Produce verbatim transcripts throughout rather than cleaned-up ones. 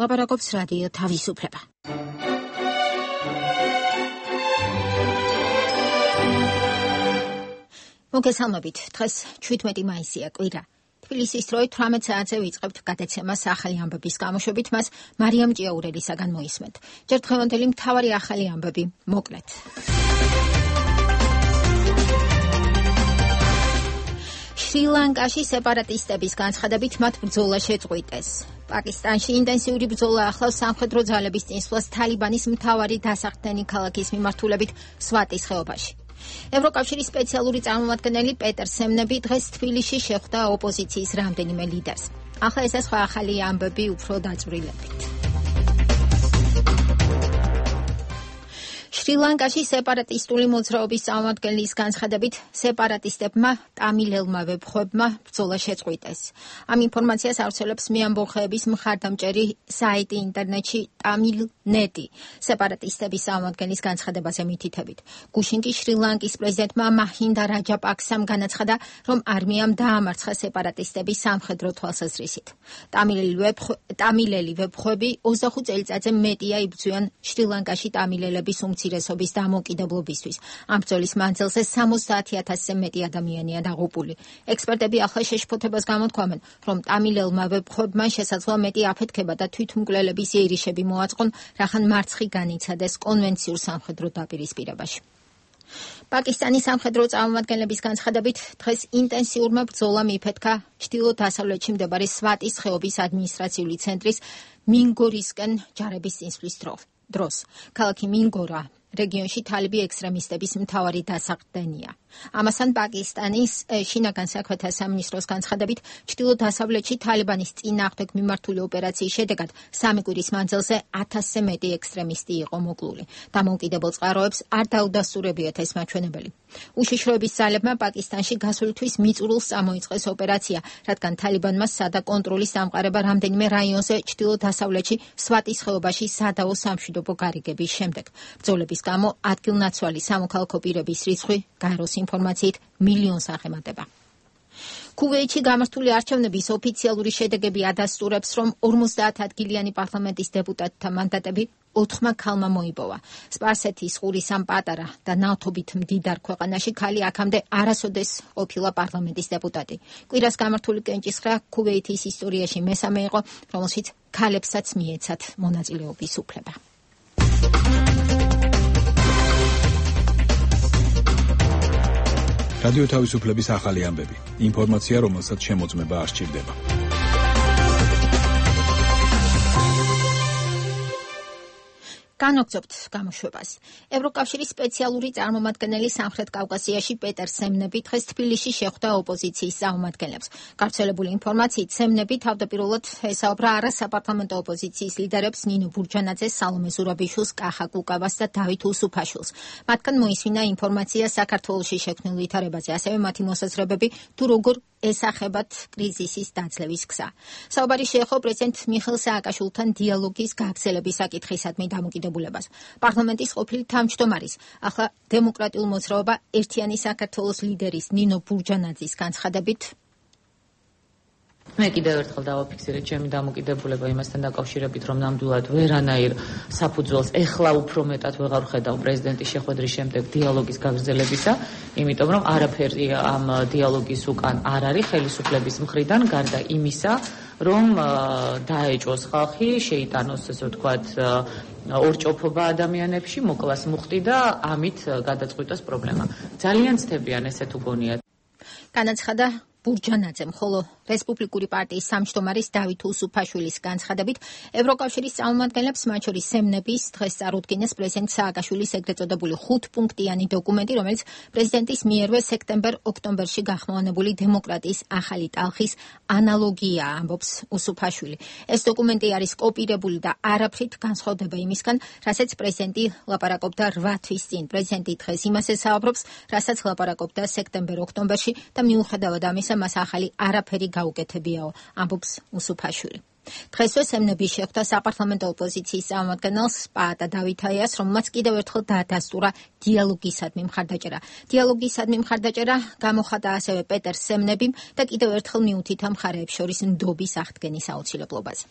ლაპარაკობს რადიო თავისუფლება. მოგესალმებით, დღეს ჩვიდმეტი მაისია, კვირა. თბილისის დროით თვრამეტ საათზე ვიწყებთ გადაცემას ახალი ამბების გამოშვებით, მას მარიამ ჭიაურელისაგან მოისმენთ. ჯერ დღევანდელი მთავარი ახალი ამბები, მოკლედ. შრი-ლანკაში სეპარატისტების განცხადებით მათ ბრძოლა შეწყვიტეს. პაკისტანში ინტენსიური ბრძოლა ახლავს სამხედრო ძალების წინსვლას თალიბანის მთავარი დასახდენი ქალაქის მიმართულებით სვატის ხეობაში. ევროკავშირის სპეციალური წარმომადგენელი პეტერ სემნები დღეს თბილისში შეხვდა ოპოზიციის რამდენიმე ლიდერს. ახლა ეს სხვა ახალი ამბები უფრო დაწვრილებით. შრი-ლანკაში სეპარატისტული მოძრაობის წარმომადგენლის განცხადებით სეპარატისტებმა ტამილელმა ვებხვებმა ბრძოლა შეწყვიტეს. ამ ინფორმაციას ავრცელებს მეამბოხეების მხარდამჭერი საიტი ინტერნეტში ტამილნეტი. სეპარატისტების წარმომადგენლის განცხადებაზე მითითებით. გუშინ კი შრი-ლანკის პრეზიდენტმა მაჰინდა რაჯაპაქსამ განაცხადა, რომ არმიამ დაამარცხა სეპარატისტების სამხედრო თვალსაზრისით. ტამილელი ვებხვები ოცდახუთ წელიწადზე მეტია იბრძვიან შრი-ლანკაში ტამილელების უმცირესობის დამოუკიდებლობისთვის. ამ ბრძოლის მანძილზე სამოცდაათი ათასზე მეტი ადამიანია დაღუპული. ექსპერტები ახლა შეშფოთებას გამოთქვამენ, რომ ტამილელმა ვებხვებმა შესაძლოა მეტი აფეთქება და თვითმკვლელების იერიშები მოაწყონ, რახან მარცხი განიცადეს კონვენციურ სამხედრო დაპირისპირებაში. პაკისტანის სამხედრო წარმომადგენლების განცხადებით დღეს ინტენსიურმა ბრძოლამ იფეთქა ჩრდილო-დასავლეთში მდებარე სვატის ხეობის ადმინისტრაციული ცენტრის მინგორისკენ ჯარების წინსვლის დროს. ქალაქი მინგორა რეგიონში თალიბი ექსტრემისტების მთავარი დასახდენია. ამასთან პაკისტანის შინაგან საქმეთა სამინისტროს განცხადებით ჩრდილო-დასავლეთში თალიბანის წინააღმდეგ მიმართული ოპერაციის შედეგად სამი კვირის მანძილზე ათასზე მეტი ექსტრემისტი იყო მოკლული. დამოუკიდებელ წყაროებს არ დაუდასტურებიათ ეს მაჩვენებელი. უშიშროების ძალებმა პაკისტანში გასული თვის მიწურულს წამოიწყეს ოპერაცია, რადგან თალიბანმა სადა კონტროლის დამყარება რამდენიმე რაიონზე ჩრდილო-დასავლეთში სვატის ხეობაში სადაო სამშვიდობო გარიგების შემდეგ. ბრძოლების გამო ადგილნაცვალი სამოქალაქო პირების რიცხვი გაეროს ინფორმაციით მილიონს აღემატება. ქუვეითში გამართული არჩევნების ოფიციალური შედეგები ადასტურებს, რომ ორმოცდაათ ადგილიანი პარლამენტის დეპუტატთა მანდატები ოთხმა ქალმა მოიპოვა. სპარსეთის ყურის ამ პატარა და ნავთობით მდიდარ ქვეყანაში ქალი აქამდე არასოდეს ყოფილა პარლამენტის დეპუტატი. კვირას გამართული კენჭისყრა ქუვეითის ისტორიაში მესამე იყო, რომელშიც ქალებსაც მიეცათ მონაწილეობის უფლება. რადიო თავისუფლების ახალი ამბები. ინფორმაცია, რომელსაც შემოწმება არ სჭირდება. განვაგრძობთ გამოშვებას. ევროკავშირის სპეციალური წარმომადგენელი სამხრეთ კავკასიაში პეტერ სემნები დღეს თბილისში შეხვდა ოპოზიციის წარმომადგენლებს. გავრცელებული ინფორმაციით სემნები თავდაპირველად ესაუბრა არასაპარლამენტო ოპოზიციის ლიდერებს ნინო ბურჯანაძეს, სალომე ზურაბიშვილს, კახა კუკავას და დავით უსუფაშვილს. მათგან მოისმინა ინფორმაცია საქართველოში შექმნილ ვითარებაზე, ასევე მათი მოსაზრებები თუ როგორ ესახებათ კრიზისის დაძლევის გზა. საუბარი შეეხო პრეზიდენტ მიხეილ სააკაშვილთან დიალოგის გაგრძელების საკითხისადმი დამოკიდებულებას. პარლამენტის ყოფილი თავმჯდომარის, ახლა დემოკრატიულ მოძრაობა ერთიანი საქართველოს ლიდერის ნინო ბურჯანაძის განცხადებით მე კიდევ ერთხელ დავაფიქსირე ჩემი დამოკიდებულება იმასთან დაკავშირებით, რომ ნამდვილად ვერანაირ საფუძველს ეხლა უფრო მეტად ვეღარ ვხედავ პრეზიდენტის შეხვედრის შემდეგ დიალოგის გაგრძელებისა, იმიტომ რომ არაფერი ამ დიალოგის უკან არ არის ხელისუფლების მხრიდან, გარდა იმისა, რომ დაეჭვოს ხალხი, შეიტანოს ესე ვთქვათ ორჭოფობა ადამიანებში, მოკლას მუხტი და ამით გადაწყვიტოს პრობლემა. ძალიან ცდებიან ესე თუ გონიათ. განაცხადა ბურჯანაძემ, ხოლო რესპუბლიკური პარტიის სამჯდომარის დავით უსუფაშვილის განცხადებით ევროკავშირის წარმომადგენლებს, მათ შორის სემნების დღეს წარუდგინეს პრეზიდენტ სააკაშვილის ეგრეთ წოდებული ხუთპუნქტიანი დოკუმენტი, რომელიც პრეზიდენტის მიერვე სექტემბერ-ოქტომბერში გახმოვანებული დემოკრატიის ახალი ტალხის ანალოგია, ამბობს უსუფაშვილი. ეს დოკუმენტი არის კოპირებული და არაფრით განსხვავდება იმისგან, რასაც პრეზიდენტი ლაპარაკობდა რვა თვის წინ. პრეზიდენტი დღეს იმას ესაუბრობს, რასაც ლაპარაკობდა სექტემბერ-ოქტომბერში და მიუხედავად ამისა მას ახალი არაფერი გაუკეთებიაო, ამბობს უსუფაშვილი. დღესვე სემნები შეხვდა საპარლამენტო ოპოზიციის წარმომადგენელს პაატა დავითაიას, რომელმაც კიდევ ერთხელ დაადასტურა დიალოგისადმი მხარდაჭერა. დიალოგისადმი მხარდაჭერა გამოხატა ასევე პეტერ სემნებიმ და კიდევ ერთხელ მიუთითა მხარეებს შორის ნდობის აღდგენის აუცილებლობაზე.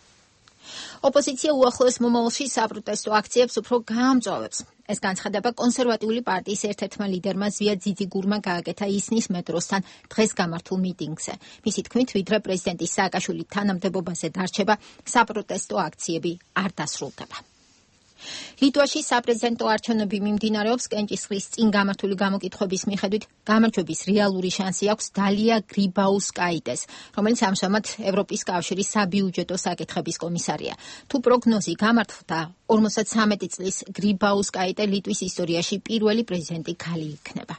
ოპოზიცია უახლოეს მომავალში საპროტესტო აქციებს უფრო გაამწვავებს. ეს განცხადება კონსერვატიული პარტიის ერთ-ერთმა ლიდერმა ზვია ძიძიგურმა გააკეთა ისნის მეტროსთან დღეს გამართულ მიტინგზე. მისი თქმით, ვიდრე პრეზიდენტის სააკაშვილის თანამდებობაზე დარჩება, საპროტესტო აქციები არ დასრულდება. ლიტვაში საპრეზიდენტო არჩევნები მიმდინარეობს. კენჭისყრის წინ გამართული გამოკითხვების მიხედვით გამარჯვების რეალური შანსი აქვს დალია გრიბაუსკაიტეს, რომელიც ამჟამად ევროპის კავშირის საბიუჯეტო საკითხების კომისარია. თუ პროგნოზი გამართლდა, ორმოცდათრამეტი წლის გრიბაუსკაიტე ლიტვის ისტორიაში პირველი პრეზიდენტი ქალი იქნება.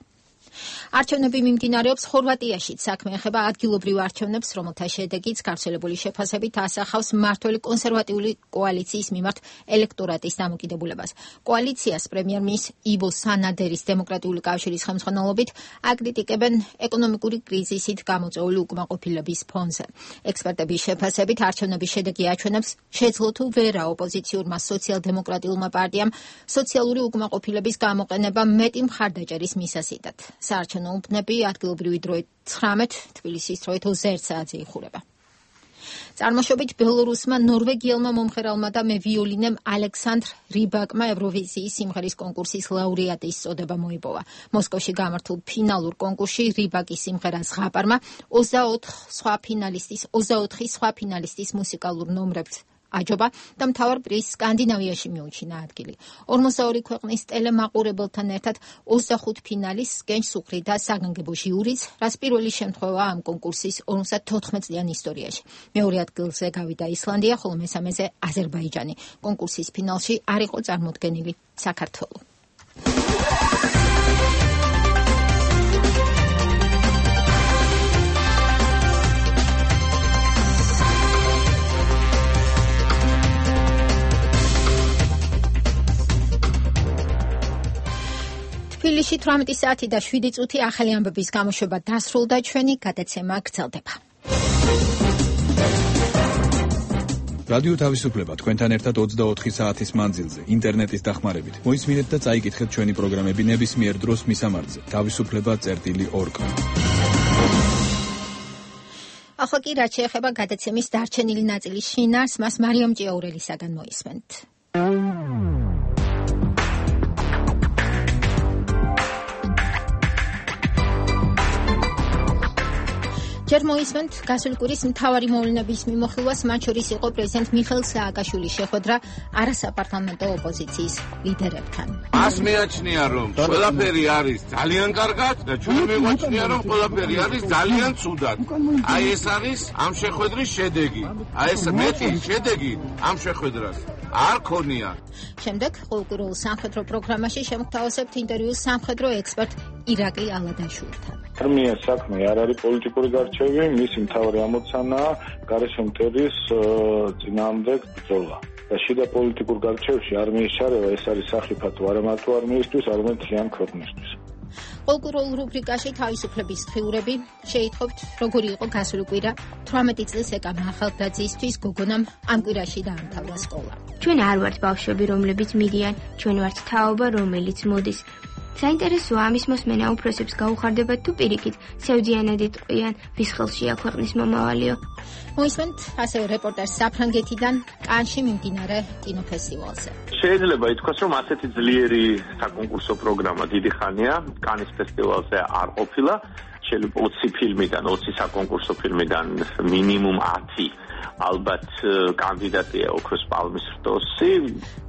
არჩევნები მიმდინარეობს ხორვატიაშიც. საქმე ეხება ადგილობრივ არჩევნებს, რომელთა შედეგიც გავრცელებული შეფასებით ასახავს მმართველი კონსერვატიული კოალიციის მიმართ ელექტორატის დამოკიდებულებას. კოალიციას პრემიერ-მინისტრის ივო სანადერის დემოკრატიული კავშირის ხელმძღვანელობით აკრიტიკებენ ეკონომიკური კრიზისით გამოწვეული უკმაყოფილების ფონზე. ექსპერტების შეფასებით არჩევნების შედეგი აჩვენებს, შეძლო თუ ვერა ოპოზიციურმა სოციალ-დემოკრატიულმა პარტიამ სოციალური უკმაყოფილების გამოყენება მეტი მხარდაჭერის მისასიტად. საარჩევნო უბნები ადგილობრივი დროით ცხრამეტ, თბილისის დროით ოცდაერთ საათზე იხურება. წარმოშობით ბელორუსმა ნორვეგიელმა მომღერალმა და მევიოლინემ ალექსანდრ რიბაკმა ევროვიზიის სიმღერის კონკურსის ლაურეატის წოდება მოიპოვა. მოსკოვში გამართულ ფინალურ კონკურსში რიბაკის სიმღერა ზღაპარმა ოცდაოთხ სხვა ფინალისტის ოცდაოთხი სხვა ფინალისტის მუსიკალურ ნომრებს აჯობა და მთავარ პრიზს სკანდინავიაში მიუჩინა ადგილი. ორმოცდაორი ქვეყნის ტელემაყურებელთან ერთად ოცდახუთ ფინალისტს გენჯ სუხრი და საგანგებო ჟიურიც, რაც პირველი შემთხვევაა ამ კონკურსის ორმოცდათოთხმეტ წლიან ისტორიაში. მეორე ადგილზე გავიდა ისლანდია, ხოლო მესამეზე აზერბაიჯანი. კონკურსის ფინალში არ იყო წარმოდგენილი საქართველო. თბილისში თვრამეტი საათი და შვიდი წუთი ახალი ამბების გამოშვება დასრულდა, ჩვენი გადაცემა გრძელდება. რადიო თავისუფლება თქვენთან ერთად ოცდაოთხი საათის მანძილზე, ინტერნეტის დახმარებით. მოისმინეთ და წაიკითხეთ ჩვენი პროგრამები ნებისმიერ დროს მისამართზე. თავისუფლება წერტილი ორგ. ახლა კი რაც შეეხება გადაცემის დარჩენილი ნაწილის შინაარსს, მას მარიამ ჭიაურელისაგან მოისმენთ. ჯერ მოისმენთ გასული კვირის მთავარი მოვლენების მიმოხილვას, მათ შორის იყო პრეზიდენტ მიხეილ სააკაშვილის შეხვედრა არასაპარლამენტო ოპოზიციის ლიდერებთან. მას მეაჩნია, რომ ყველაფერი არის ძალიან კარგად და ჩვენ მეგვაჩნია, რომ ყველაფერი არის ძალიან ცუდად. აი ეს არის ამ შეხვედრის შედეგი. აი ეს მეტი შედეგი ამ შეხვედრას არ ქონია. შემდეგ ყოველკვირეულ სამხედრო პროგრამაში შემოგთავაზებთ ინტერვიუს სამხედრო ექსპერტ ირაკლი ალადაშვილთან. არმიას საქმე არ არის პოლიტიკური გარჩევი, მისი მთავარი ამოცანაა გარეშე მტრის წინააღმდეგ ბრძოლა. და შიდა პოლიტიკურ გარჩევში არმიის შარევა ეს არის სახიფათო არა მარტო არმიისთვის, არამედ მთლიან ქვეყნისთვის. ყოველკვირეულ რუბრიკაში თავისუფლების დღიურები შეითხოვთ, როგორი იყო გასული კვირა თვრამეტი წლის ეკამა ახალგაზრდისთვის გოგონამ ამ კვირაში დაამთავრა სკოლა. ჩვენ არ ვართ ბავშვები, რომლებიც მიდიან, ჩვენ ვართ თაობა, რომელიც მოდის. საინტერესოა ამის მოსმენა უფროსებს გაუხარდებათ თუ პირიქით სევდიანად იტყვიან, ვის ხელშია ქვეყნის მომავალიო. მოისმენთ ასევე რეპორტაჟს საფრანგეთიდან კანში მიმდინარე კინოფესტივალზე. შეიძლება ითქვას, რომ ასეთი ძლიერი საკონკურსო პროგრამა დიდი ხანია კანის ფესტივალზე არ ყოფილა. შეიძლება ოცი ფილმიდან, ოცი საკონკურსო ფილმიდან მინიმუმ ათი ალბათ კანდიდატია ოქროს პალმის რტოსი.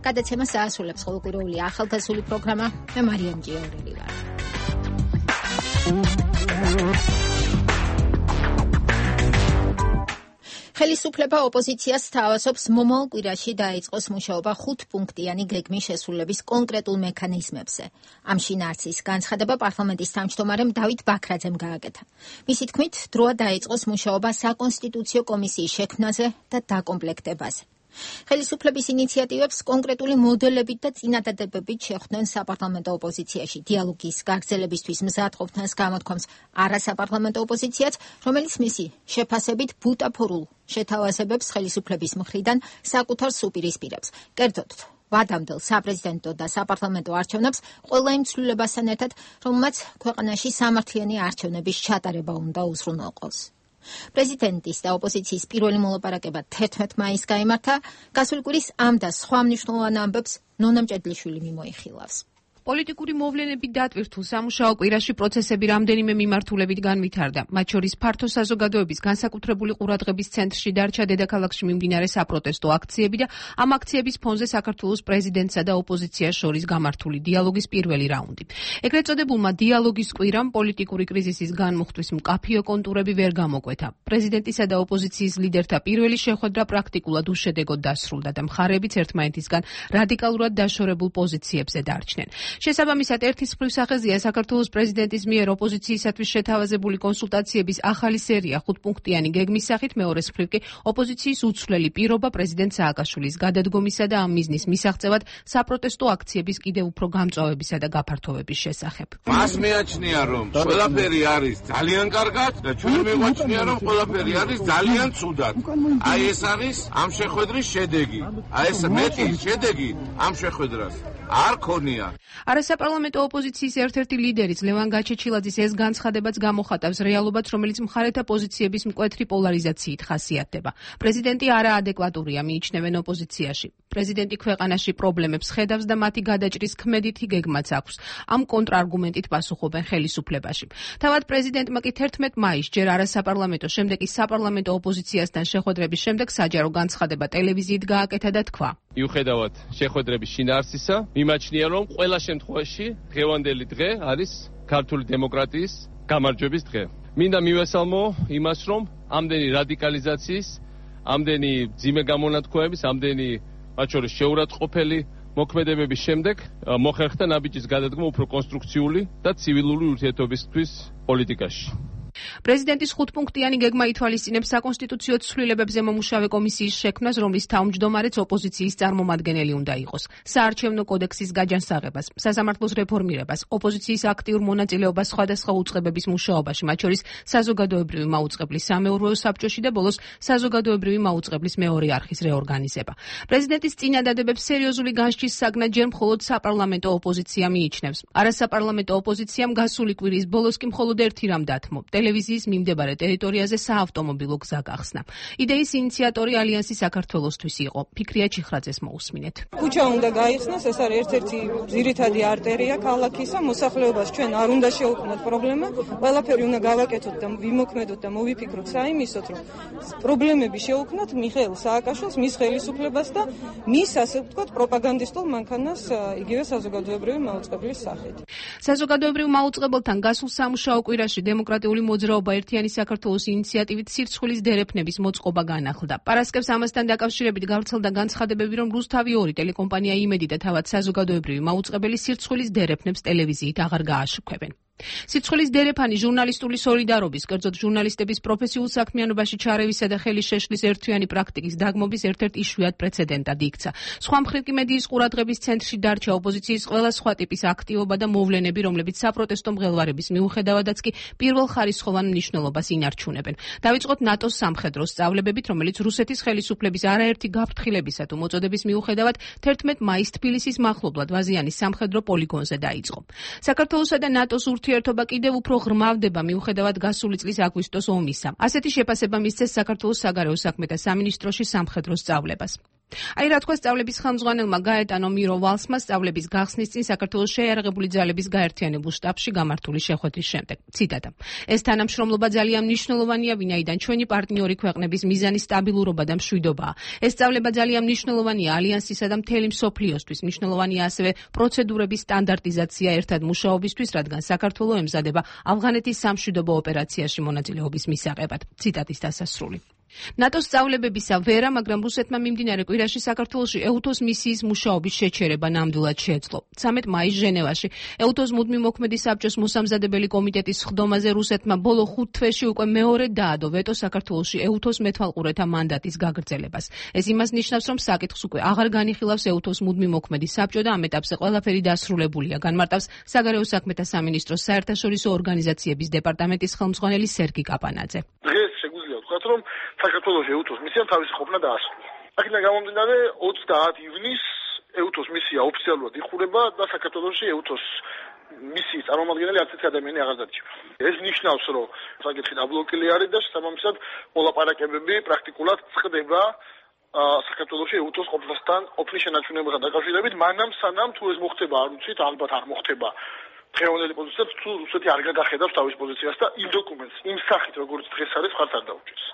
გადაცემას აასრულებს ყოველკვირეული ახალგაზრდული პროგრამა. მე მარიამ ჭიაურელი ვარ. ხელისუფლება ოპოზიციას სთავაზობს მომავალ კვირაში დაიწყოს მუშაობა ხუთპუნქტიანი გეგმის შესრულების კონკრეტულ მექანიზმებზე. ამ შინაარსის განცხადება პარლამენტის თავმჯდომარემ დავით ბაქრაძემ გააკეთა. მისი თქმით, დროა დაიწყოს მუშაობა საკონსტიტუციო კომისიის შექმნაზე და დაკომპლექტებაზე. ხელისუფლების ინიციატივებს კონკრეტული მოდელებით და წინადადებებით შეხვდნენ საპარლამენტო ოპოზიციაში. დიალოგის გაგრძელებისთვის მზად ყოფნას გამოთქვამს არასაპარლამენტო ოპოზიციაც, რომელიც მისი შეფასებით ბუტაფორულ შეთავაზებებს ხელისუფლების მხრიდან საკუთარ სუპირისპირებს. კერძოდ, ვადამდელ საპრეზიდენტო და საპარლამენტო არჩევნებს ყველა იმ ცვლილებასთან ერთად, რომელმაც ქვეყანაში სამართლიანი არჩევნების ჩატარება უნდა უზრუნველყოს. პრეზიდენტის და ოპოზიციის პირველი მოლაპარაკება თერთმეტ მაისს გაიმართა. გასული კვირის ამ და სხვა მნიშვნელოვან ამბებს ნონა მჭედლიშვილი მიმოიხილავს. პოლიტიკური მოვლენები დატვირთულ სამუშაო კვირაში პროცესები რამდენიმე მიმართულებით განვითარდა. მათ შორის ფართო საზოგადოების განსაკუთრებული ყურადღების ცენტრში დარჩა დედაქალაქში მიმდინარე საპროტესტო აქციები და ამ აქციების ფონზე საქართველოს პრეზიდენტსა და ოპოზიციას შორის გამართული დიალოგის პირველი რაუნდი. ეგრეთ წოდებულმა დიალოგის კვირამ პოლიტიკური კრიზისის განმუხტვის მკაფიო კონტურები ვერ გამოკვეთა. პრეზიდენტისა და ოპოზიციის ლიდერთა პირველი შეხვედრა პრაქტიკულად უშედეგოდ დასრულდა და მხარეებიც ერთმანეთისგან რადიკალურად დაშორებულ პოზიციებზე დარჩნენ. შესაბამისად, ერთის მხრივ სახეზეა საქართველოს პრეზიდენტის მიერ ოპოზიციისათვის შეთავაზებული კონსულტაციების ახალი სერია ხუთპუნქტიანი გეგმის სახით, მეორეს მხრივ კი ოპოზიციის უცვლელი პირობა პრეზიდენტ სააკაშვილის გადადგომისა და ამ მიზნის მისაღწევად საპროტესტო აქციების კიდევ უფრო გამწვავებისა და გაფართოვების შესახებ. მას მეაჩნია, რომ ყველაფერი არის ძალიან კარგად და ჩვენ მივაჩნია, რომ ყველაფერი არის ძალიან ცუდად. აი ეს არის ამ შეხვედრის შედეგი. აი ეს მეტი შედეგი ამ შეხვედრას არ ქონია. არასაპარლამენტო ოპოზიციის ერთ-ერთი ლიდერიც ლევან გაჩეჩილაძის ეს განცხადებაც გამოხატავს რეალობაც, რომელიც მხარეთა პოზიციების მკვეთრი პოლარიზაციით ხასიათდება. პრეზიდენტი არაადეკვატურია, მიიჩნევენ ოპოზიციაში. პრეზიდენტი ქვეყანაში პრობლემებს ხედავს და მათი გადაჭრის ქმედითი გეგმაც აქვს. ამ კონტრარგუმენტით პასუხობენ ხელისუფლებაში. თავად პრეზიდენტმა კი თერთმეტ მაისს ჯერ არასაპარლამენტო, შემდეგ კი საპარლამენტო ოპოზიციასთან შეხვედრების შემდეგ საჯარო განცხადება ტელევიზიით გააკეთა და თქვა: მიუხედავად შეხვედრების შინაარსისა, მიმაჩნია, რომ ყველა შემთხვევაში დღევანდელი დღე არის ქართული დემოკრატიის გამარჯვების დღე. მინდა მივესალმო იმას, რომ ამდენი რადიკალიზაციის, ამდენი ძიმე გამონათქვამების, ამდენი მათ შორის შეურაცხყოფელი მოქმედებების შემდეგ მოხერხდა ნაბიჯის გადადგმა უფრო კონსტრუქციული და ცივილური ურთიერთობისთვის პოლიტიკაში. პრეზიდენტის ხუთპუნქტიანი გეგმა ითვალისწინებს საკონსტიტუციო ცვლილებებზე მომუშავე კომისიის შექმნას, რომლის თავმჯდომარეც ოპოზიციის წარმომადგენელი უნდა იყოს, საარჩევნო კოდექსის გაჯანსაღებას, სასამართლოს რეფორმირებას, ოპოზიციის აქტიურ მონაწილეობას სხვადასხვა უწყებების მუშაობაში, მათ შორის საზოგადოებრივი მაუწყებლის სამეურვეო საბჭოში და ბოლოს საზოგადოებრივი მაუწყებლის მეორე არხის რეორგანიზება. პრეზიდენტის წინადადებებს სერიოზული განსჯის საგნად ჯერ მხოლოდ საპარლამენტო ოპოზიცია მიიჩნევს. არასაპარლამენტო ოპოზიციამ გასული კვირის ბოლოს კი მხოლოდ ერთი რამ დათმო: ტელევიზიის მიმდებარე ტერიტორიაზე საავტომობილო გზა გახსნა. იდეის ინიციატორი ალიანსი საქართველოსთვის იყო. ფიქრია ჩიხრაძეს მოусმინეთ. ქუჩა უნდა გაიხსნას, ეს არის ერთ-ერთი ძირითადი არტერია ქალაქისა, მოსახლეობას ჩვენ არ უნდა შევქმნათ პრობლემა, ყველაფერი უნდა გავაკეთოთ და ვიმოქმედოთ და მოვიფიქროთ საიმისოთ, რომ პრობლემები შევქმნათ მიხეილ სააკაშვილს, მის ხელისუფლებას და მის, ასე ვთქვათ, პროპაგანდისტულ მანქანას იგივე საზოგადოებრივი მაუწყებლის სახით. საზოგადოებრივ მაუწყებელთან გასულ სამუშაო კვირაში დემოკრატიული მოძრაობა ერთიანი საქართველოს ინიციატივით სირცხვილის დერეფნების მოწყობა განახლდა. პარასკევს ამასთან დაკავშირებით გავრცელდა განცხადებები, რომ რუსთავი ორი ტელეკომპანია იმედი და თავად საზოგადოებრივი მაუწყებელი სირცხვილის დერეფნებს ტელევიზიით აღარ გააშუქებენ. სირცხვილის დერეფანი ჟურნალისტული სოლიდარობის, კერძოდ ჟურნალისტების პროფესიულ საქმიანობაში ჩარევისა და ხელის შეშლის ერთთვიანი პრაქტიკის დაგმობის ერთ-ერთ იშვიათ პრეცედენტად იქცა. სხვა მხრივ კი მედიის ყურადღების ცენტრში დარჩა ოპოზიციის ყველა სხვა ტიპის აქტივობა და მოვლენები, რომლებიც საპროტესტო მღელვარების მიუხედავადაც კი პირველხარისხოვან მნიშვნელობას ინარჩუნებენ. დავიწყოთ ნატოს სამხედრო სწავლებებით, რომელიც რუსეთის ხელისუფლების არაერთი გაფრთხილებისა თუ მოწოდების მიუხედავად თერთმეტ მაისს თბილისის მახლობლად ვაზიანის სამხედრო პოლიგონზე დაიწყო. საქართველოსა და ნატოს ურთიერთობა კიდევ უფრო ღრმავდება მიუხედავად გასული წლის აგვისტოს ომისა. ასეთი შეფასება მისცეს საქართველოს საგარეო საქმეთა სამინისტროში სამხედრო სწავლებას. აი რა თქვა სწავლების ხელმძღვანელმა გაეტანო მიროვალსმა სწავლების გახსნის წინ საქართველოს შეიარაღებული ძალების გაერთიანებულ შტაბში გამართული შეხვედრის შემდეგ. ციტატა: ეს თანამშრომლობა ძალიან მნიშვნელოვანია, ვინაიდან ჩვენი პარტნიორი ქვეყნების მიზანი სტაბილურობა და მშვიდობაა. ეს სწავლება ძალიან მნიშვნელოვანია ალიანსისა და მთელი მსოფლიოსთვის. მნიშვნელოვანია ასევე პროცედურების სტანდარტიზაცია ერთად მუშაობისთვის, რადგან საქართველოს ემზადება ავღანეთის სამშვიდობო ოპერაციაში მონაწილეობის მისაღებად. ციტატის დასასრული. ნატოს სწავლებებისა ვერა, მაგრამ რუსეთმა მიმდინარე კვირაში საქართველოში ეუთოს მისიის მუშაობის შეჩერება ნამდვილად შეეძლო. ცამეტ მაისს ჟენევაში ეუთოს მუდმივ მოქმედი საბჭოს მოსამზადებელი კომიტეტის სხდომაზე რუსეთმა ბოლო ხუთ თვეში უკვე მეორედ დაადო ვეტო საქართველოში ეუთოს მეთვალყურეთა მანდატის გაგრძელებას. ეს იმას ნიშნავს, რომ საკითხს უკვე აღარ განიხილავს ეუთოს მუდმივ მოქმედი საბჭო და ამ ეტაპზე ყველაფერი დასრულებულია, განმარტავს საგარეო საქმეთა სამინისტროს საერთაშორისო ორგანიზაციების დეპარტამენტის ხელმძღვანელი სერგი კაპანაძე. დღეს შეგვიძლია ვთქვათ, რომ საქართველოს ეუთოს მისიამ თავისი ყოფნა დაასრულა. აქედან გამომდინარე ოცდაათი ივნისს ეუთოს მისია ოფიციალურად იხურება და საქართველოში ეუთოს მისი წარმომადგენელი არც ერთი ადამიანი აღარ დარჩება. ეს ნიშნავს, რომ საკითხი დაბლოკილი არის და შესაბამისად მოლაპარაკებები პრაქტიკულად წყდება საქართველოში ევტოს ყოფნასთან, ყოფნის შენარჩუნებასთან დაკავშირებით, მანამ სანამ თუ ეს მოხდება, არ ვიცით, ალბათ არ მოხდება. დღევანდელი პოზიციაც თუ რუსეთი არ გადახედავს თავის პოზიციას და იმ დოკუმენტს იმ სახით როგორც დღეს არის მხარს არ დაუჭერს.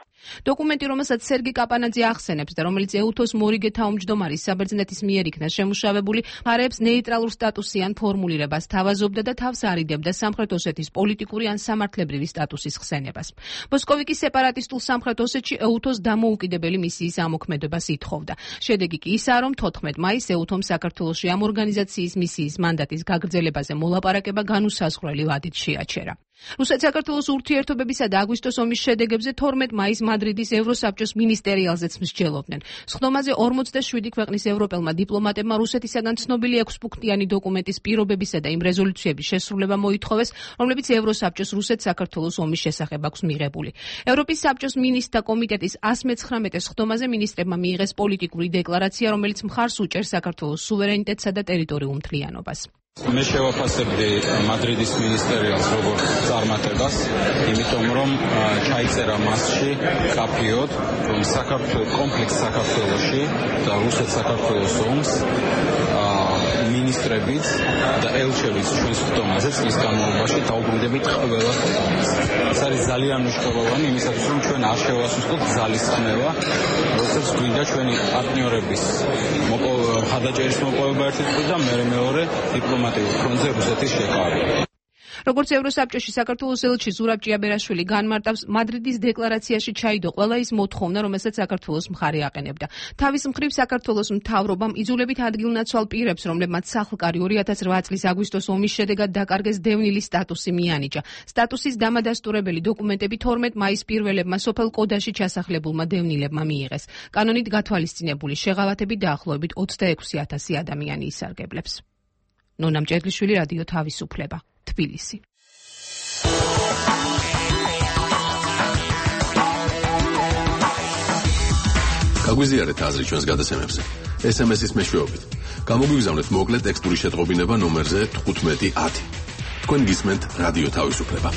დოკუმენტი, რომელსაც სერგი კაპანაძე ახსენებს და რომელიც ეუთოს მორიგე თავმჯდომარის საბერძნეთის მიერ იქნა შემუშავებული, მხარეებს ნეიტრალურ სტატუსიან ფორმულირებას თავაზობდა და თავს არიდებდა სამხრეთ ოსეთის პოლიტიკური ან სამართლებრივი სტატუსის ხსენებას. მოსკოვიკის სეპარატისტულ სამხრეთ ოსეთში ეუთოს დამოუკიდებელი მისიის ამოქმედებას ითხოვდა. შედეგი კი ისაა, რომ თოთხმეტ მაისს ეუთომ საქართველოში ამ ორგანიზაციის მისიის მანდატის გაგრძელებაზე მოლაპარაკება განუსაზღვრელი ვადით შეაჩერა. რუსეთ-საქართველოს ურთიერთობებისა და აგვისტოს ომის შედეგებზე თორმეტ მაისს მადრიდის ევროსაბჭოს მინისტერიალზეც მსჯელობდნენ. სხდომაზე ორმოცდაშვიდი ქვეყნის ევროპელმა დიპლომატებმა რუსეთისაგან ცნობილი ექვსპუნქტიანი დოკუმენტის პირობებისა და იმ რეზოლუციების შესრულება მოითხოვეს, რომლებიც ევროსაბჭოს რუსეთ-საქართველოს ომის შესახებ აქვს მიღებული. ევროპის საბჭოს მინისტრთა კომიტეტის ას მეცხრამეტე სხდომაზე მინისტრებმა მიიღეს პოლიტიკური დეკლარაცია, რომელიც მხარს უჭერს საქართველოს სუვერენიტეტსა და ტერიტორიულ მთლიანობას. მე შევაფასებდი მადრიდის მინისტერიალს როგორც წარმატებას, იმიტომ რომ ჩაიწერა მასში კაფიოდ, რომ საქართველოს კომპლექს საქართველოში და რუსეთ-საქართველოს ომს მინისტრებიც და ელჩებიც ჩვენს ხდომაზე წლის განმავლობაში დაუბრუნდებით ყველა ქვეყანას. ეს არის ძალიან მნიშვნელოვანი იმისათვის, რომ ჩვენ არ შევასუსტოთ ძალისხმევა, როდესაც გვინდა ჩვენი პარტნიორების მხარდაჭერის მოპოვება ერთი წუთი და მეორე მეორე დიპლომატიურ ფრონტზე რუსეთის შეკავება. როგორც ევროსაბჭოში საქართველოს ელჩი ზურაბ ჭიაბერაშვილი განმარტავს, მადრიდის დეკლარაციაში ჩაიდო ყველა ის მოთხოვნა, რომელსაც საქართველოს მხარე აყენებდა. თავის მხრივ საქართველოს მთავრობამ იძულებით ადგილნაცვალ პირებს, რომლებმაც სახლკარი ორი ათას რვა წლის აგვისტოს ომის შედეგად დაკარგეს დევნილი სტატუსი მიანიჭა. სტატუსის დამადასტურებელი დოკუმენტები თორმეტ მაისს პირველებმა სოფელ კოდაში ჩასახლებულმა დევნილებმა მიიღეს. კანონით გათვალისწინებული შეღავათებით დაახლოებით ოცდაექვსი ათასი ადამიანი ისარგებლებს. ნონა მჭედლიშვილი, რადიო თავისუფლება. თბილისი. გაგვიზიარეთ აზრი ჩვენს გადაცემებზე. ეს ემ ეს-ის მეშვეობით. გამოგვიგზავნეთ მოკლე ტექსტური შეტყობინება ნომერზე თხუთმეტი ათი. თქვენ გისმენთ რადიო თავისუფლება.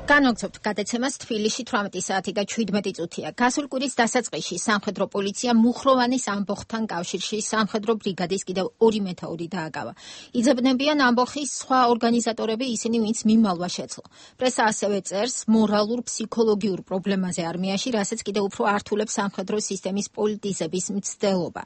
განაგრძობთ გადაცემას თბილისში თვრამეტი საათი და შვიდმეტი წუთია. გასული კვირის დასაწყისში სამხედრო პოლიცია მუხროვანის ამბოხთან კავშირში სამხედრო ბრიგადის კიდევ ორი მეთაური დააკავა. იძებნებიან ამბოხის სხვა ორგანიზატორები, ისინი ვინც მიმალვა შეძლო. პრესა ასევე წერს მორალურ ფსიქოლოგიურ პრობლემაზე არმიაში, რასაც კიდევ უფრო ართულებს სამხედრო სისტემის პოლიტიზების მცდელობა.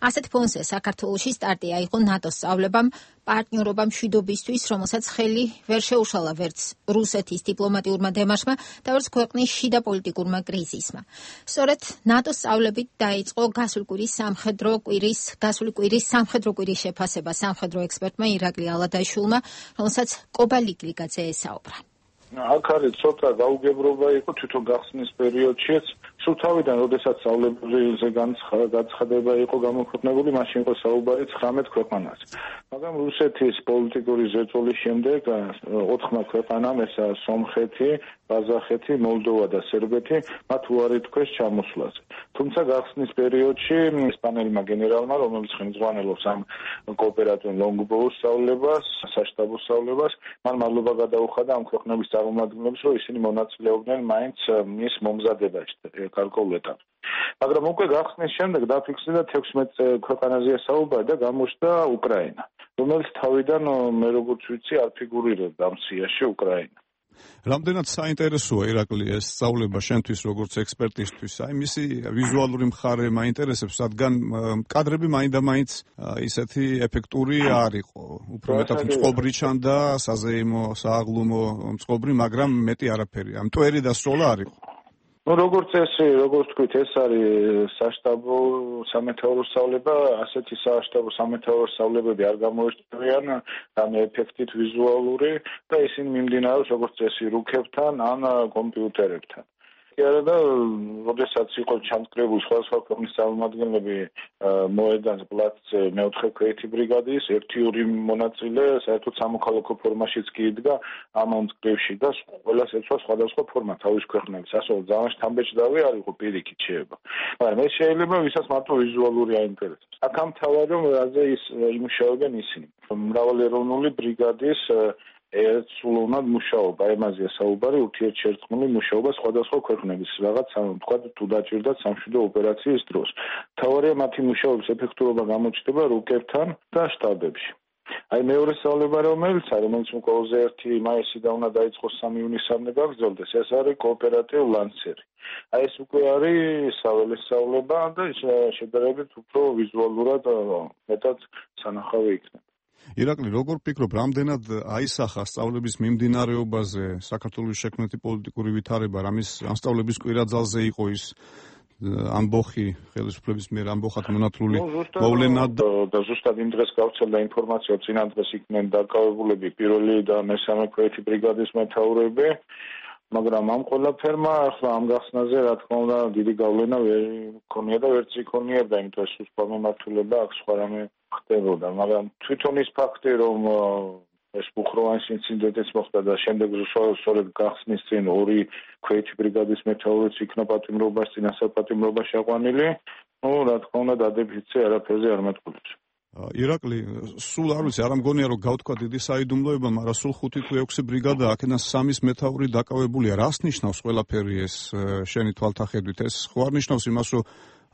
ასეთ ფონზე საქართველოში სტარტი აიღო ნატოს სწავლებამ, პარტნიორობა მშვიდობისთვის, რომელსაც ხელი ვერ შეუშალა ვერც რუსეთის დიპლომატიურმა დემარშმა და ვერც ქვეყნის შიდა პოლიტიკურმა კრიზისმა. სწორედ ნატოს სწავლებით დაიწყო გასული კვირის სამხედრო კვირის გასული კვირის სამხედრო კვირის შეფასება სამხედრო ექსპერტმა ირაკლი ალადაშვილმა, რომელსაც კობა ლიგვიგაძე ესაუბრა. აქ არის ცოტა გაუგებრობა იყო თვითონ გახსნის პერიოდშიც. სულ თავიდან, როდესაც სწავლებებზე განცხადება იყო გამოქვეყნებული, მაშინ იყო საუბარი ცხრამეტ ქვეყანაზე. მაგრამ რუსეთის პოლიტიკური ზეწოლის შემდეგ ოთხმა ქვეყანამ, ესაა სომხეთი, ყაზახეთი, მოლდოვა და სერბეთი, მათ უარი თქვეს ჩამოსვლაზე. თუმცა გახსნის პერიოდში ესპანელმა გენერალმა, რომელიც ხელმძღვანელობს ამ კოოპერატიულ ლონგბოუს სწავლებას, საშტაბო სწავლებას, მან მადლობა გადაუხადა ამ ქვეყნების წარმომადგენლებს, რომ ისინი მონაწილეობდნენ მაინც მის მომზადებაში გარკვეულ ეტაპში. მაგრამ უკვე გახსნის შემდეგ დაფიქსირდა თექვსმეტ ქვეყანაზეა საუბარი და გამოჩნდა უკრაინა, რომელიც თავიდან მე როგორც ვიცი არ ფიგურირებდა ამ სიაში უკრაინა. რამდენად საინტერესოა ირაკლი ეს სწავლება შენთვის როგორც ექსპერტისთვის? აი მისი ვიზუალური მხარე მაინტერესებს, რადგან კადრები მაინდა-მაინც ისეთი ეფექტური არ იყო. უფრო მეტად მწყობრი ჩანდა, საზეიმო, სააღლუმო მწყობრი, მაგრამ მეტი არაფერი. ამ მტვერი და სროლა არ იყო. Ну, როგორც ეს, როგორც თქვით, ეს არის საშტაბო სამეთაურო სწავლება, ასეთი საშტაბო სამეთაურო სწავლებები არ გამოირჩევიან ამ ეფექტით ვიზუალური და ისინი მიმდინარეობს როგორც წესი რუქებთან ან კომპიუტერებთან. კი არა და როდესაც იყო ჩამწკრებული სხვადასხვა ქვეყნის წარმომადგენლები მოედანზე პლაცზე მეოთხე ქვეითი ბრიგადის ერთი ორი მონაწილე საერთოდ სამოქალაქო ფორმაშიც კი იდგა ამ ამწკრივში და ყველას ეცვა სხვადასხვა ფორმა თავის ქვეყნების ასო ძალიან შთამბეჭდავი არ იყო პირიქით შეება მაგრამ ეს შეიძლება ვისაც მარტო ვიზუალური აინტერესებს აქ ამ თავად რომ რაზე ის იმუშავებენ ისინი მრავალეროვნული ბრიგადის ერთსულოვნად მუშაობა, ემაზეა საუბარი ურთიერთშერწყმული მუშაობა სხვადასხვა ქვეყნების რაღაც თქვა თუ დაჭირდათ სამშვიდობო ოპერაციის დროს. მთავარია მათი მუშაობის ეფექტურობა გამოჩნდება რუკებთან და შტაბებში. აი მეორე სწავლება რომელიც არის, რომელიც ყველაზე ერთი მაისიდან უნდა დაიწყოს სამი ივნისამდე გაგრძელდეს, ეს არის კოოპერატივ ლანცერი. აი ეს უკვე არის საველე სწავლება და შედარებით უფრო ვიზუალურად მეტად სანახავი იქნება. ირაკლი, როგორ ფიქრობ, რამდენად აისახა სწავლების მიმდინარეობაზე საქართველოს შექმნეთი პოლიტიკური ვითარება, რამის ამ სწავლების კვირაძალზე იყო ის ამბოხი ხელისუფლების მიერ ამბოხად მონათლული მოვლენა და ზუსტად იმ დღეს გავრცელდა ინფორმაცია, წინა დღეს იქნენ დაკავებულები პირველი და მესამე ქვეითი ბრიგადის მეთაურები, მაგრამ ამ ყველაფერმა ახლა ამ გახსნაზე რა თქმა უნდა დიდი გავლენა ვერ ქონია და ვერც იქონიებდა, იმიტომ რომ სუსტ მიმართულება აქ სხვა რამე ხდებოდა, მაგრამ თვითონ ის ფაქტი, რომ ეს ბუხროვანის ინციდენტიც მოხდა და შემდეგ სწორედ გახსნის წინ ორი ქვეითი ბრიგადის მეთაურიც იქნა პატიმრობას, წინასაპატიმრობაში აყვანილი, ну, რა თქმა უნდა, დადებითი არაფერზე არ მეტყველებს. ირაკლი, სულ არ ვიცი, არ მგონია რომ გავთქვა დიდი საიდუმლოება, მაგრამ სულ ხუთი თუ ექვსი ბრიგადა აქედან სამის მეთაური დაკავებულია. რას ნიშნავს ყველაფერი ეს შენი თვალთახედვით? ეს ხო არ ნიშნავს იმას, რომ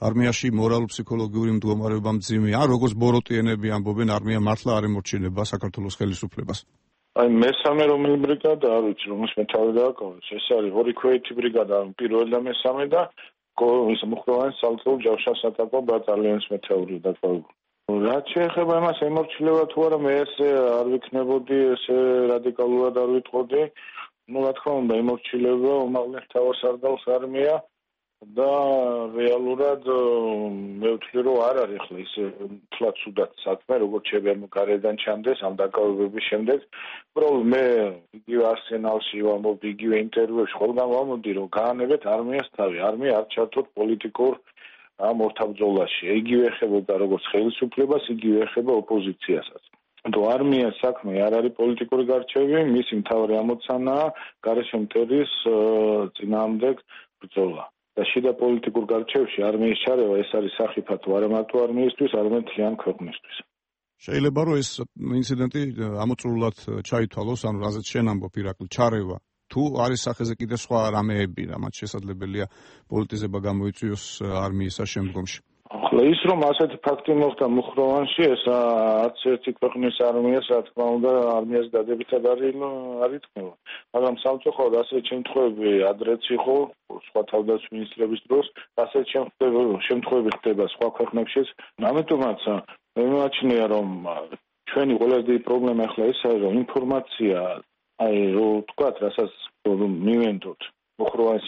არმიაში მორალურ-ფსიქოლოგიური მდგომარეობა მძიმე, ან როგორც ბოროტიენები ამბობენ, არმია მართლა არ ემორჩილება საქართველოს ხელისუფლებას. აი მესამე რომელი ბრიგადა არ ვიცი, რომელს მეთაური დააკავეს. ეს არის ორი ქვეითი ბრიგადა, პირველი და მესამე და ის მუხროვანის საალწლეულ ჯავშანსატაკო ბატალიონის მეთაური დაკავებული. რაც შეეხება იმას ემორჩილება თუ არა, მე ესე არ ვიქნებოდი, ესე რადიკალურად არ ვიტყოდი. ну, რა თქმა უნდა, ემორჩილება უმაღლეს თავსარდალს არმია და რეალურად მე ვთვლი რომ არ არის ახლა ის თლაც უდად საქმე როგორც შეიძლება გარედან ჩამდეს ამ დაკავებების შემდეგ უბრალოდ მე იგივე არსენალში ვამბობ იგივე ინტერვიუებში ყველგან ვამბობდი რომ გაანებეთ არმიას თავი არმია არ ჩართოთ პოლიტიკურ ამ ორთაბრძოლაში იგივე ეხებოდა როგორც ხელისუფლებას იგივე ეხება ოპოზიციასაც თუ არმიას საქმე არ არის პოლიტიკური გარჩევი მისი მთავარი ამოცანაა გარეშე მტრის წინააღმდეგ ბრძოლა და შიდა პოლიტიკურ გარჩევში არმიის ჩარევა ეს არის სახიფათო არა მარტო არმიისთვის, არამედ მთლიან ქვეყნისთვის. შეიძლება რომ ეს ინციდენტი ამოწურულად ჩაითვალოს, ანუ რაზეც შენ ამბობ ირაკლი, ჩარევა. თუ არის სახეზე კიდე სხვა რამეები, რამაც შესაძლებელია პოლიტიზება გამოიწვიოს არმიისა შემდგომში. ახლა ის რომ ასეთი ფაქტი მოხდა მუხროვანში, ეს არც ერთი ქვეყნის არმიას, რა თქმა უნდა, არმიას დადებითად არ ითქმება. მაგრამ სამწუხაროდ ასეთი შემთხვევები ადრეც იყო სხვა თავდაცვის მინისტრების დროს, ასეთი შემთხვევები ხდება სხვა ქვეყნებშიც. ამიტომაც მე მიმაჩნია, რომ ჩვენი ყველაზე დიდი პრობლემა ახლა ის არის, რომ ინფორმაცია, აი რო ვთქვათ, რასაც მივენდოთ მუხროვანის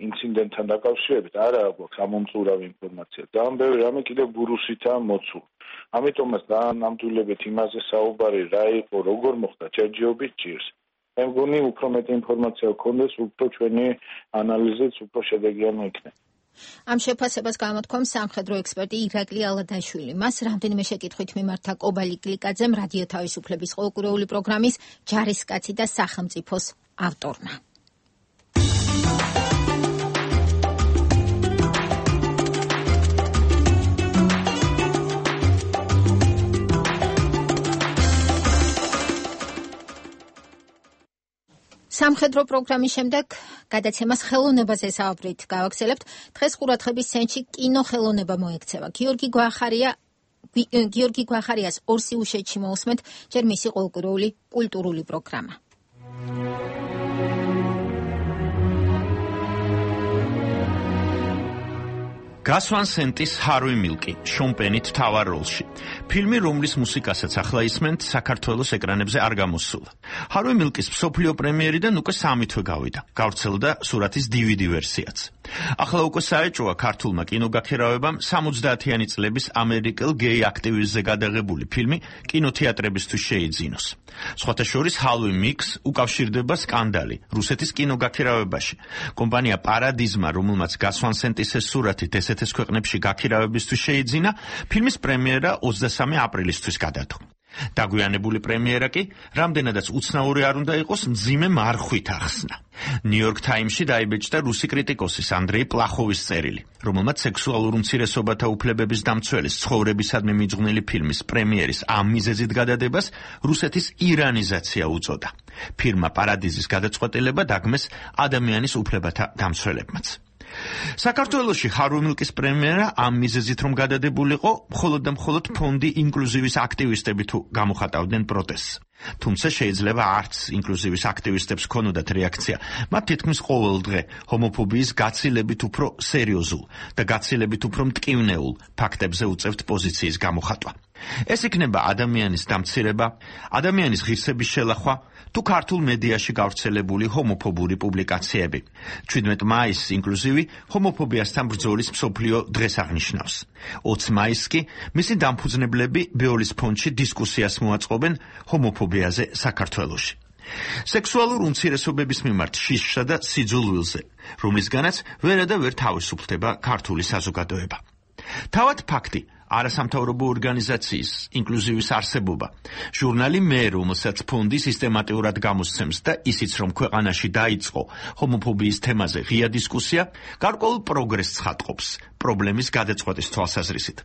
ინციდენტთან დაკავშირებით არ აქვს ამომწურავი ინფორმაცია. ძალიან ბევრი რამე კიდევ ბურუსითაა მოცული. ამიტომაც დაანამდვილებით იმაზე საუბარი რა იყო, როგორ მოხდა, ჯერჯერობით ჭირს. მე მგონი უფრო მეტი ინფორმაცია გქონდეს, უფრო ჩვენი ანალიზიც უფრო შედეგიანი იქნება. ამ შეფასებას გამოთქვამს სამხედრო ექსპერტი ირაკლი ალადაშვილი. მას რამდენიმე შეკითხვით მიმართა კობალი გლიკაძემ რადიო თავისუფლების ყოველკვირეული პროგრამის ჯარისკაცი და სახელმწიფოს ავტორმა. სამხედრო პროგრამის შემდეგ გადაცემას ხელოვნებაზე საუბრით გავაგზავნებთ. დღეს ყურადღების ცენტრში კინოხელოვნება მოექცევა. გიორგი გვახარია გიორგი გვახარიას ორსიუშეთში მოусმენთ, ჯერ მისი ყოველკვირეული კულტურული პროგრამა. გასვან სენტის ჰარვი მილკი, შონ პენით მთავარ როლში. ფილმი, რომლის მუსიკასაც ახლა ისმენთ, საქართველოს ეკრანებზე არ გამოსულა. ჰარვი მილკის მსოფლიო პრემიერიდან უკვე სამი თვე გავიდა. გავრცელდა სურათის დი ვი დი ვერსიაც. ახლა უკვე საეჭვოა ქართულმა კინოგაქირავებამ სამოცდაათიანი წლების ამერიკელ გეი აქტივისტზე გადაღებული ფილმი კინოთეატრებისთვის შეიძინოს. სხვათა შორის ჰარვი მილკს უკავშირდება სკანდალი რუსეთის კინოგაქირავებაში. კომპანია პარადიზმა, რომელმაც გასვანსენტის ეს სურათით ესეთის ქვეყნებში გაქირავებისთვის შეიძინა, ფილმის პრემიერა ოცდასამი აპრილისთვის გადადო. დაგვიანებული პრემიერა კი, რამდენადაც უცნაური არ უნდა იყოს, მძიმე მარხვით ახსნა. ნიუ-იორკ თაიმსში დაიბეჭდა რუსი კრიტიკოსის ანდრეი პლახოვის წერილი, რომელმაც სექსუალურ უმცირესობათა უფლებების დამცველის ცხოვრებისადმი მიძღვნილი ფილმის პრემიერის ამ მიზეზით გადადებას რუსეთის ირანიზაცია უწოდა. ფილმმა პარადიზის გადაწყვეტილება დაგმეს ადამიანის უფლებათა დამცველებმაც. საქართველოში ჰარვი მილკის პრემიერა ამ მიზეზით რომ გადადებულიყო, მხოლოდ და მხოლოდ ფონდი ინკლუზივის აქტივისტები თუ გამოხატავდნენ პროტესტს. თუმცა შეიძლება არც ინკლუზივის აქტივისტებს ქონოდათ რეაქცია. მათ თითქმის ყოველ დღე ჰომოფობიის გაცილებით უფრო სერიოზულ და გაცილებით უფრო მტკივნეულ ფაქტებზე უწევთ პოზიციის გამოხატვა. ეს იქნება ადამიანის დამცირება, ადამიანის ღირსების შელახვა თუ ქართულ მედიაში გავრცელებული ჰომოფობური პუბლიკაციები. ჩვიდმეტ მაისს ინკლუზივი ჰომოფობიასთან ბრძოლის მსოფლიო დღეს აღნიშნავს. ოცი მაისს კი მისი დამფუძნებლები ბეოლის ფონდში დისკუსიას მოაწყობენ ჰომოფობიაზე საქართველოში. სექსუალურ უმცირესობების მიმართ შიშსა და სიძულვილზე, რომლისგანაც ვერა და ვერ თავისუფლდება ქართული საზოგადოება. თავად ფაქტი, არასამთავრობო ორგანიზაციის ინკლუზივის არსებობა. ჟურნალი მე, რომელსაც ფონდი სისტემატიურად გამოსცემს და ისიც რომ ქვეყანაში დაიწყო ჰომოფობიის თემაზე ღია დისკუსია, გარკვეულ პროგრესს ხატყობს პრობლემის გადაწყვეტის თვალსაზრისით.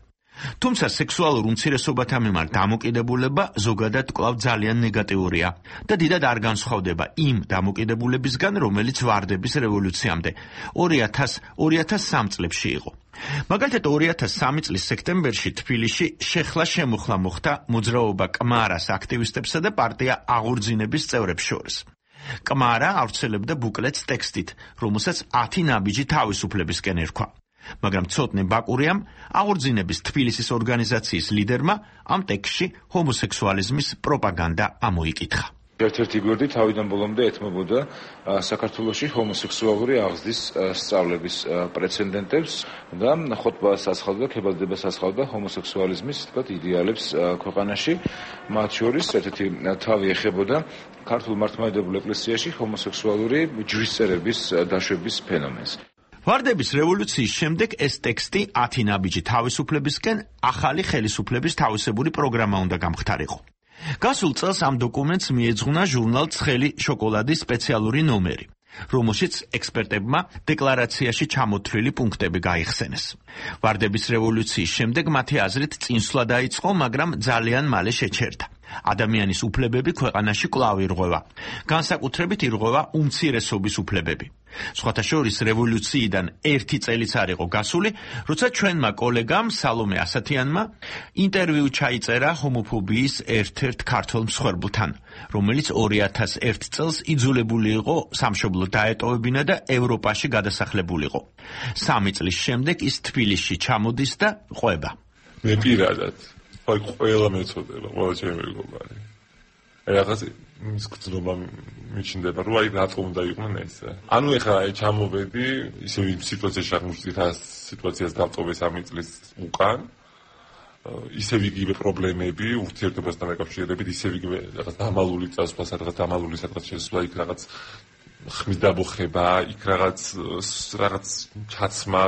თუმცა სექსუალურ უმცირესობათა მიმართ დამოკიდებულება ზოგადად კვლავ ძალიან ნეგატიურია და დიდად არ განსხვავდება იმ დამოკიდებულებისგან, რომელიც ვარდების რევოლუციამდე ორი ათას სამი წლებში იყო. მაგალითად ორი ათას სამი წლის სექტემბერში თბილისში შეხლა შემოხლა მოხდა მოძრაობა კმარას აქტივისტებსა და პარტია აღორძინების წევრებს შორის. კმარა ავრცელებდა ბუკლეტს ტექსტით, რომელსაც ათი ნაბიჯი თავისუფლებისკენ ერქვა. მაგრამ ცოტნე ბაკურიამ აღორძინების თბილისის ორგანიზაციის ლიდერმა ამ ტექსტში ჰომოსექსუალიზმის პროპაგანდა ამოიკითხა. ერთ-ერთი გვერდი თავიდან ბოლომდე ეთმობოდა საქართველოში ჰომოსექსუალური აღზრდის სწავლების პრეცედენტებს და ხოტბას ასხავდა, ქებადებას ასხავდა ჰომოსექსუალიზმის თქვათ იდეალებს ქვეყანაში. მათ შორის ერთ-ერთი თავი ეხებოდა ქართულ მართლმადიდებელ ეკლესიაში ჰომოსექსუალური ჯვისწერების დაშვების ფენომენს. ვარდების რევოლუციის შემდეგ ეს ტექსტი ათი ნაბიჯი თავისუფლებისკენ ახალი ხელისუფლების თავისებური პროგრამა უნდა გამხდარიყო. გასულ წელს ამ დოკუმენტს მიეძღვნა ჟურნალ ცხელი შოკოლადის სპეციალური ნომერი, რომელშიც ექსპერტებმა დეკლარაციაში ჩამოთვლილი პუნქტები გაიხსენეს. ვარდების რევოლუციის შემდეგ მათი აზრით წინსვლა დაიწყო, მაგრამ ძალიან მალე შეჩერდა. ადამიანის უფლებები ქვეყანაში კვლავ ირღვევა. განსაკუთრებით ირღვევა უმცირესობის უფლებები. სხვათა შორის რევოლუციიდან ერთი წელიც არ იყო გასული, როცა ჩვენმა კოლეგამ სალომე ასათიანმა ინტერვიუ ჩაიწერა ჰომოფობიის ერთ-ერთ ქართველ მსხვერპლთან, რომელიც ორი ათას ერთი წელს იძულებული იყო სამშობლო დაეტოვებინა და ევროპაში გადასახლებულიყო. სამი წლის შემდეგ ის თბილისში ჩამოდის და ყვება. მე პირადად აი ყველა მეწოდება, ყველა ჩემი მეგობარი. აი რაღაც ის გწნობა მიჩნდება, რომ აი რატომ უნდა იყვნენ ესე. ანუ ეხლა აი ჩამოვედი, ისე იმ სიტუაციაში აღმოჩნდით, რა სიტუაციას დავტოვე სამი წლის უკან. ისევ იგივე პრობლემები, ურთიერთობასთან დაკავშირებით, ისევ იგივე რაღაც დამალული წასვლა, რაღაც დამალული სადღაც შესვლა, იქ რაღაც ხმის დაბოხება, იქ რაღაც რაღაც ჩაცმა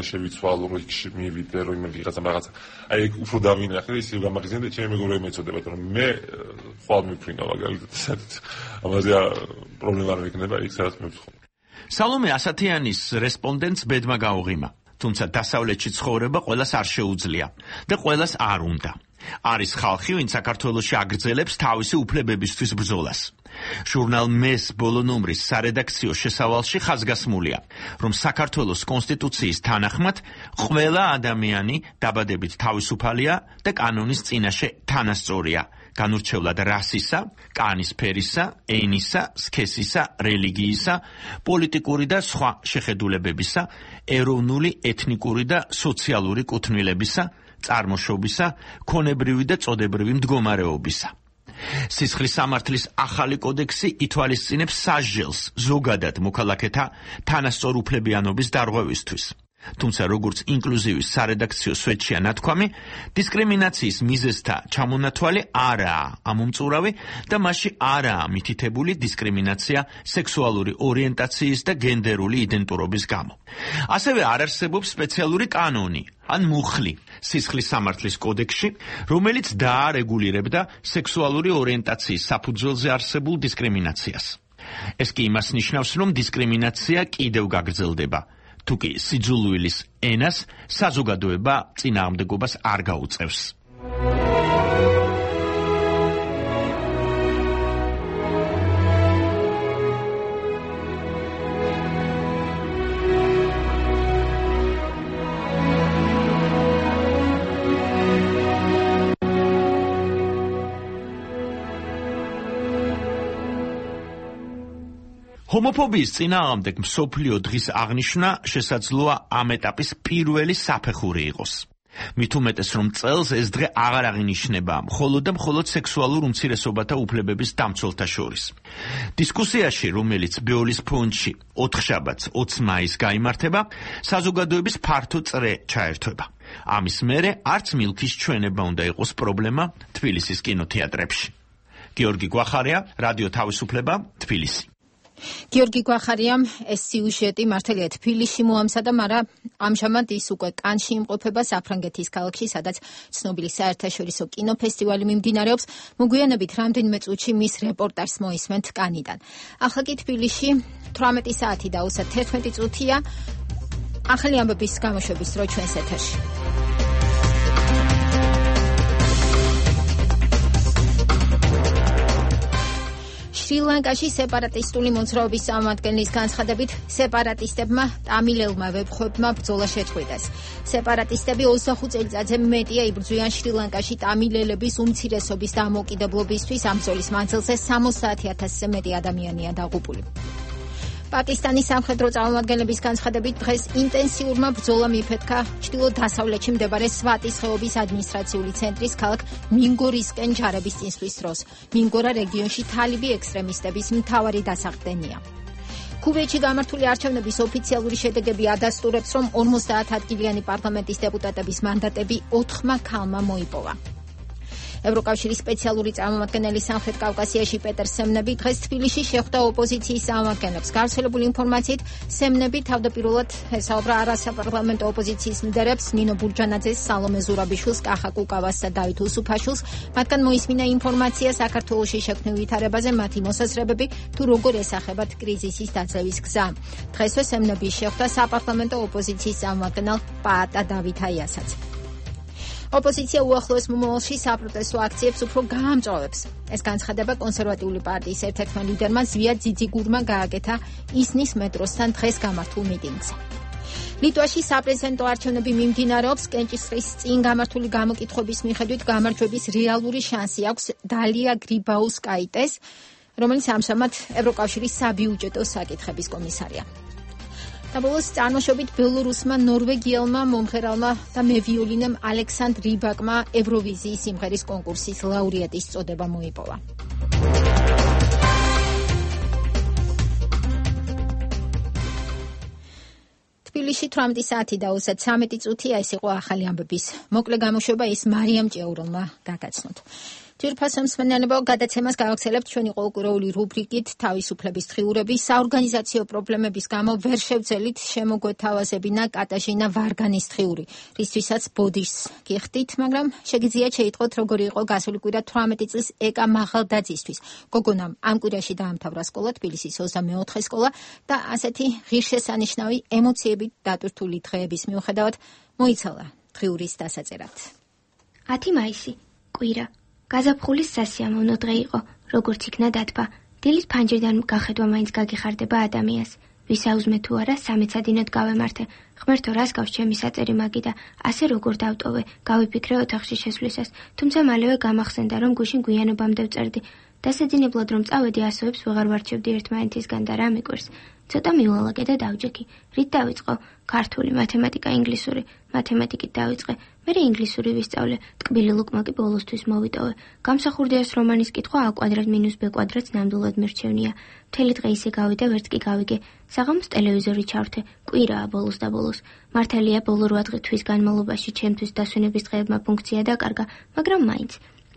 შევიცვალო, რომ იქ მივიდე, რომ იმ ვიღაცამ რაღაც აი უფრო დავინახე, ისე გამახსენდა ჩემი მეგობრები მეწოდებათ, რომ მე ხვალ მიფრინავ მაგალითად. ამაზე პრობლემა არ იქნება, იქ სადაც მევცხოვ. სალომე ასათიანის რესპონდენტს ბედმა გაუღიმა. თუმცა დასავლეთში ცხოვრება ყველას არ შეუძლია და ყველას არ უნდა. არის ხალხი, ვინც საქართველოში აგრძელებს თავისი უფლებებისთვის ბრძოლას. ჟურნალ მეს ბოლო ნომრის სარედაქციო შესავალში ხაზგასმულია, რომ საქართველოს კონსტიტუციის თანახმად ყველა ადამიანი დაბადებით თავისუფალია და კანონის წინაშე თანასწორია, განურჩევლად რასისა, კანის ფერისა, ენისა, სქესისა, რელიგიისა, პოლიტიკური და სხვა შეხედულებებისა, ეროვნული, ეთნიკური და სოციალური კუთვნილებისა, წარმოშობისა, ქონებრივი და წოდებრივი მდგომარეობისა. სისხლის სამართლის ახალი კოდექსი ითვალისწინებს სასჯელს ზოგადად მოქალაქეთა თანასწორუფლებიანობის დარღვევისთვის. თუმცა როგორც ინკლუზივის სარედაქციო სვეტშია ნათქვამი, დისკრიმინაციის მიზეზთა ჩამონათვალი არაა ამომწურავი და მასში არაა მითითებული დისკრიმინაცია სექსუალური ორიენტაციის და გენდერული იდენტურობის გამო. ასევე არ არსებობს სპეციალური კანონი ან მუხლი სისხლის სამართლის კოდექსში, რომელიც დაარეგულირებდა სექსუალური ორიენტაციის საფუძველზე არსებულ დისკრიმინაციას. ეს კი იმას ნიშნავს, რომ დისკრიმინაცია კიდევ გაგრძელდება. თუკი სიძულვილის ენას საზოგადოება წინააღმდეგობას არ გაუწევს. ჰომოფობიის წინააღმდეგ მსოფლიო დღის აღნიშვნა შესაძლოა ამ ეტაპის პირველი საფეხური იყოს. მით უმეტეს, რომ წელს ეს დღე აღარ აღინიშნება მხოლოდ და მხოლოდ სექსუალურ უმცირესობათა უფლებების დამცველთა შორის. დისკუსიაში, რომელიც ბეოლის ფონდში ოთხშაბათს ოცი მაისს გაიმართება, საზოგადოების ფართო წრე ჩაერთვება. ამის მერე არც მილქის ჩვენება უნდა იყოს პრობლემა თბილისის კინოთეატრებში. გიორგი გვახარია, რადიო თავისუფლება, თბილისი. გიორგი გვახარიამ ეს სიუჟეტი მართალია თბილისში მოამზადა, მაგრამ ამჟამად ის უკვე კანში იმყოფება საფრანგეთის ქალაქში, სადაც ცნობილი საერთაშორისო კინოფესტივალი მიმდინარეობს. მოგვიანებით რამდენიმე წუთში მის რეპორტაჟს მოისმენთ კანიდან. ახლა კი თბილისში თვრამეტი საათი და ოცდაათი წუთია. ახალი ამბების გამოშვების დრო ჩვენს ეთერში. შრი-ლანკაში სეპარატისტული მოძრაობის წარმომადგენლის განცხადებით, სეპარატისტებმა ტამილელმა ვებხვებმა ბრძოლა შეწყვიტეს. სეპარატისტები ოცდახუთ წელიწადზე მეტია იბრძვიან შრი-ლანკაში ტამილელების უმცირესობის დამოუკიდებლობისთვის. ამ ბრძოლის მანძილზე სამოცდაათი ათასზე მეტი ადამიანია დაღუპული. პაკისტანის სამხედრო წარმომადგენლების განცხადებით, დღეს ინტენსიურმა ბრძოლამ იფეთქა ჩრდილო-დასავლეთში მდებარე სვატის ხეობის ადმინისტრაციული ცენტრის ქალაქ მინგორისკენ ჯარების წინსვლის დროს. მინგორა რეგიონში თალიბი ექსტრემისტების მთავარი დასახდენია. ქუვეითში გამართული არჩევნების ოფიციალური შედეგები ადასტურებს, რომ ორმოცდაათი ადგილიანი პარლამენტის დეპუტატების მანდატები ოთხმა ქალმა მოიპოვა. ევროკავშირის სპეციალური წარმომადგენელი სამხრეთ კავკასიაში პეტერ სემნები დღეს თბილისში შეხვდა ოპოზიციის წარმომადგენლებს. გავრცელებული ინფორმაციით, სემნები თავდაპირველად ესაუბრა არასაპარლამენტო ოპოზიციის ლიდერებს ნინო ბურჯანაძეს, სალომე ზურაბიშვილს, კახა კუკავას და დავით უსუფაშვილს. მათგან მოისმინა ინფორმაცია საქართველოში შექმნილ ვითარებაზე, მათი მოსაზრებები თუ როგორ ესახებათ კრიზისის დაძლევის გზა. დღესვე სემნები შეხვდა საპარლამენტო ოპოზიციის წარმომადგენელ პაატა დავითაიასაც. ოპოზიცია უახლოეს მომავალში საპროტესტო აქციებს უფრო გაამწვავებს. ეს განცხადება კონსერვატიული პარტიის ერთ-ერთმა ლიდერმა ზვია ძიძიგურმა გააკეთა ისნის მეტროსთან დღეს გამართულ მიტინგზე. ლიტვაში საპრეზიდენტო არჩევნები მიმდინარეობს. კენჭისყრის წინ გამართული გამოკითხვების მიხედვით გამარჯვების რეალური შანსი აქვს დალია გრიბაუსკაიტეს, რომელიც ამჟამად ევროკავშირის საბიუჯეტო საკითხების კომისარია. და ბოლოს წარმოშობით ბელორუსმა ნორვეგიელმა მომღერალმა და მევიოლინემ ალექსანდრ რიბაკმა ევროვიზიის სიმღერის კონკურსის ლაურეატის წოდება მოიპოვა. თბილისში თვრამეტი საათი და ოცდათრამეტი წუთია. ეს იყო ახალი ამბების მოკლე გამოშვება, ის მარიამ ჭეურონმა გაგაცნოთ. ძვირფასო მსმენელებო, გადაცემას გავაგრძელებთ ჩვენი ყოველკვირეული რუბრიკით თავისუფლების დღიურები. საორგანიზაციო პრობლემების გამო ვერ შევძელით შემოგვეთავაზებინა კატაჟინა ვარგანის დღიური, რისთვისაც ბოდიშს გიხდით, მაგრამ შეგიძლიათ შეიტყოთ როგორი იყო გასული კვირა თვრამეტი წლის ეკა მაღალდაძისთვის. გოგონამ ამ კვირაში დაამთავრა სკოლა, თბილისის ოცდამეოთხე სკოლა და ასეთი ღირსშესანიშნავი ემოციებით დატვირთული დღეების მიუხედავად მოიცალა დღიურის დასაწერად. ათი მაისი, კვირა. გაზაფხულის სასიამოვნო დღე იყო, როგორც იქნა დათბა. დილის ფანჯრიდან გახედვა მაინც გაგიხარდება ადამიანს. ვისაუზმე თუ არა, სამეცადინოდ გავემართე. ღმერთო, რას გავს ჩემი საწერი მაგიდა, ასე როგორ დავტოვე, გავიფიქრე ოთახში შესვლისას, თუმცა მალევე გამახსენდა, რომ გუშინ გვიანობამდე ვწერდი. დასაძინებლად რომ წავედი, ასოებს ვეღარ ვარჩევდი ერთმანეთისგან და რა მიკვირს. ცოტა მივალაგე და დავჯექი. რით დავიწყო? ქართული, მათემატიკა, ინგლისური. მათემატიკით დავიწყე. მე ინგლისური ვისწავლე. ტკბილი ლუკმა კი ბოლოსთვის მოვიტოვე. გამსახურდიას რომანის კითხვა a კვადრატ მინუს b კვადრატს ნამდვილად მერჩევნია. მთელი დღე ისე გავიდა, ვერც კი გავიგე. საღამოს ტელევიზორი ჩავრთე. კვირაა ბოლოს და ბოლოს. მართალია ბოლო რვა თვის განმავლობაში ჩემთვის დასვენების დღეებმა ფუნქცია დაკარგა, მაგრამ მაინც.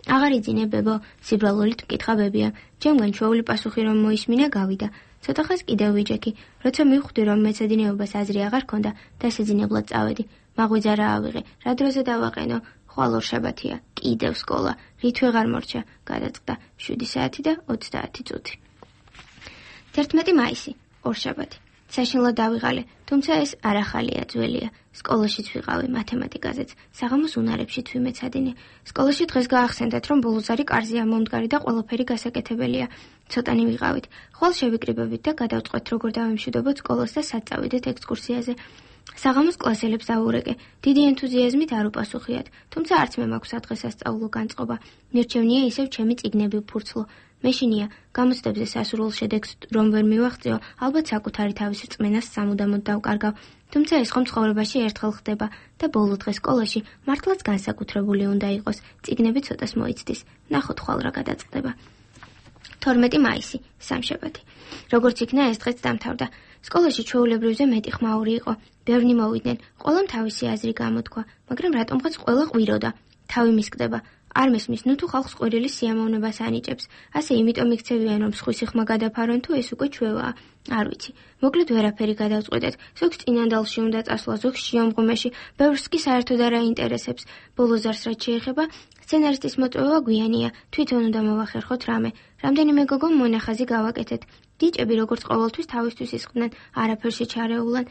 აღარ იძინე ბებო, სიბრალულით მკითხა ბებია. ჩემგან ჩვეული პასუხი რომ მოისმინა გავიდა. ცოტა ხანს კიდევ ვიჯექი, როცა მივხვდი რომ მეცადინეობას აზრი აღარ ქონდა, დასაძინებლად წავედი. მაღვიძა რა ავიღე, რა დროზე დავაყენო, ხვალ ორშაბათია, კიდევ სკოლა, რით ვეღარ მორჩა, გადაწყდა შვიდი საათი და ოცდაათი წუთი. თერთმეტი მაისი, ორშაბათი. საშინლად დავიღალე, თუმცა ეს არ ახალია, ძველია. სკოლაშიც ვიყავი, მათემატიკაზეც, საღამოს უნარებშიც ვიმეცადინე. სკოლაში დღეს გაახსენდათ, რომ ბოლოზარი კარზეა მომდგარი და ყველაფერი გასაკეთებელია. ცოტანი ვიყავით. ხვალ შევიკრიბებით და გადავწყვეთ, როგორ დავიმშვიდობოთ სკოლას და სად წავიდეთ ექსკურსიაზე. საღამოს კლასელებს დავურეკე. დიდი ენთუზიაზმით არ უპასუხიათ, თუმცა არც მე მაქვს სადღესასწაულო განწყობა. მირჩევნია ისევ ჩემი წიგნები ვფურცლო. მეშინია, გამოცდებზე სასურველ შედეგს რომ ვერ მივაღწიო, ალბათ საკუთარი თავის რწმენას სამუდამოდ დავკარგავ. თუმცა ეს ხომ ცხოვრებაში ერთხელ ხდება და ბოლო დღე სკოლაში მართლაც განსაკუთრებული უნდა იყოს. წიგნები ცოტას მოიცდის. ნახოთ ხვალ რა გადაწყდება. თორმეტი მაისი, სამშაბათი. როგორც იქნა ეს დღეც დამთავრდა. სკოლაში ჩვეულებრივზე მეტი ხმაური იყო. ბევრნი მოვიდნენ, ყველამ თავისი აზრი გამოთქვა, მაგრამ რატომღაც ყველა ყვიროდა. თავი მისკდება. არ მესმის, ნუ თუ ხალხს ყვირილის სიამოვნებას ანიჭებს. ასე იმიტომ იქცევიან, რომ სხვისი ხმა გადაფარონ თუ ეს უკვე ჩვევაა. არ ვიცი. მოკლედ ვერაფერი გადავწყვეტეთ. ზოგს წინანდალში უნდა წასვლა, ზოგს შიომღვიმეში, ბევრს კი საერთოდ არ აინტერესებს. ბოლოზარს რაც შეეხება, სცენარისტის მოწვევა გვიანია. თვითონ უნდა მოვახერხოთ რამე. რამდენიმე გოგომ მონახაზი გავაკეთეთ. დიჭები როგორც ყოველთვის თავისთვის ისხდნენ, არაფერში ჩარეულან.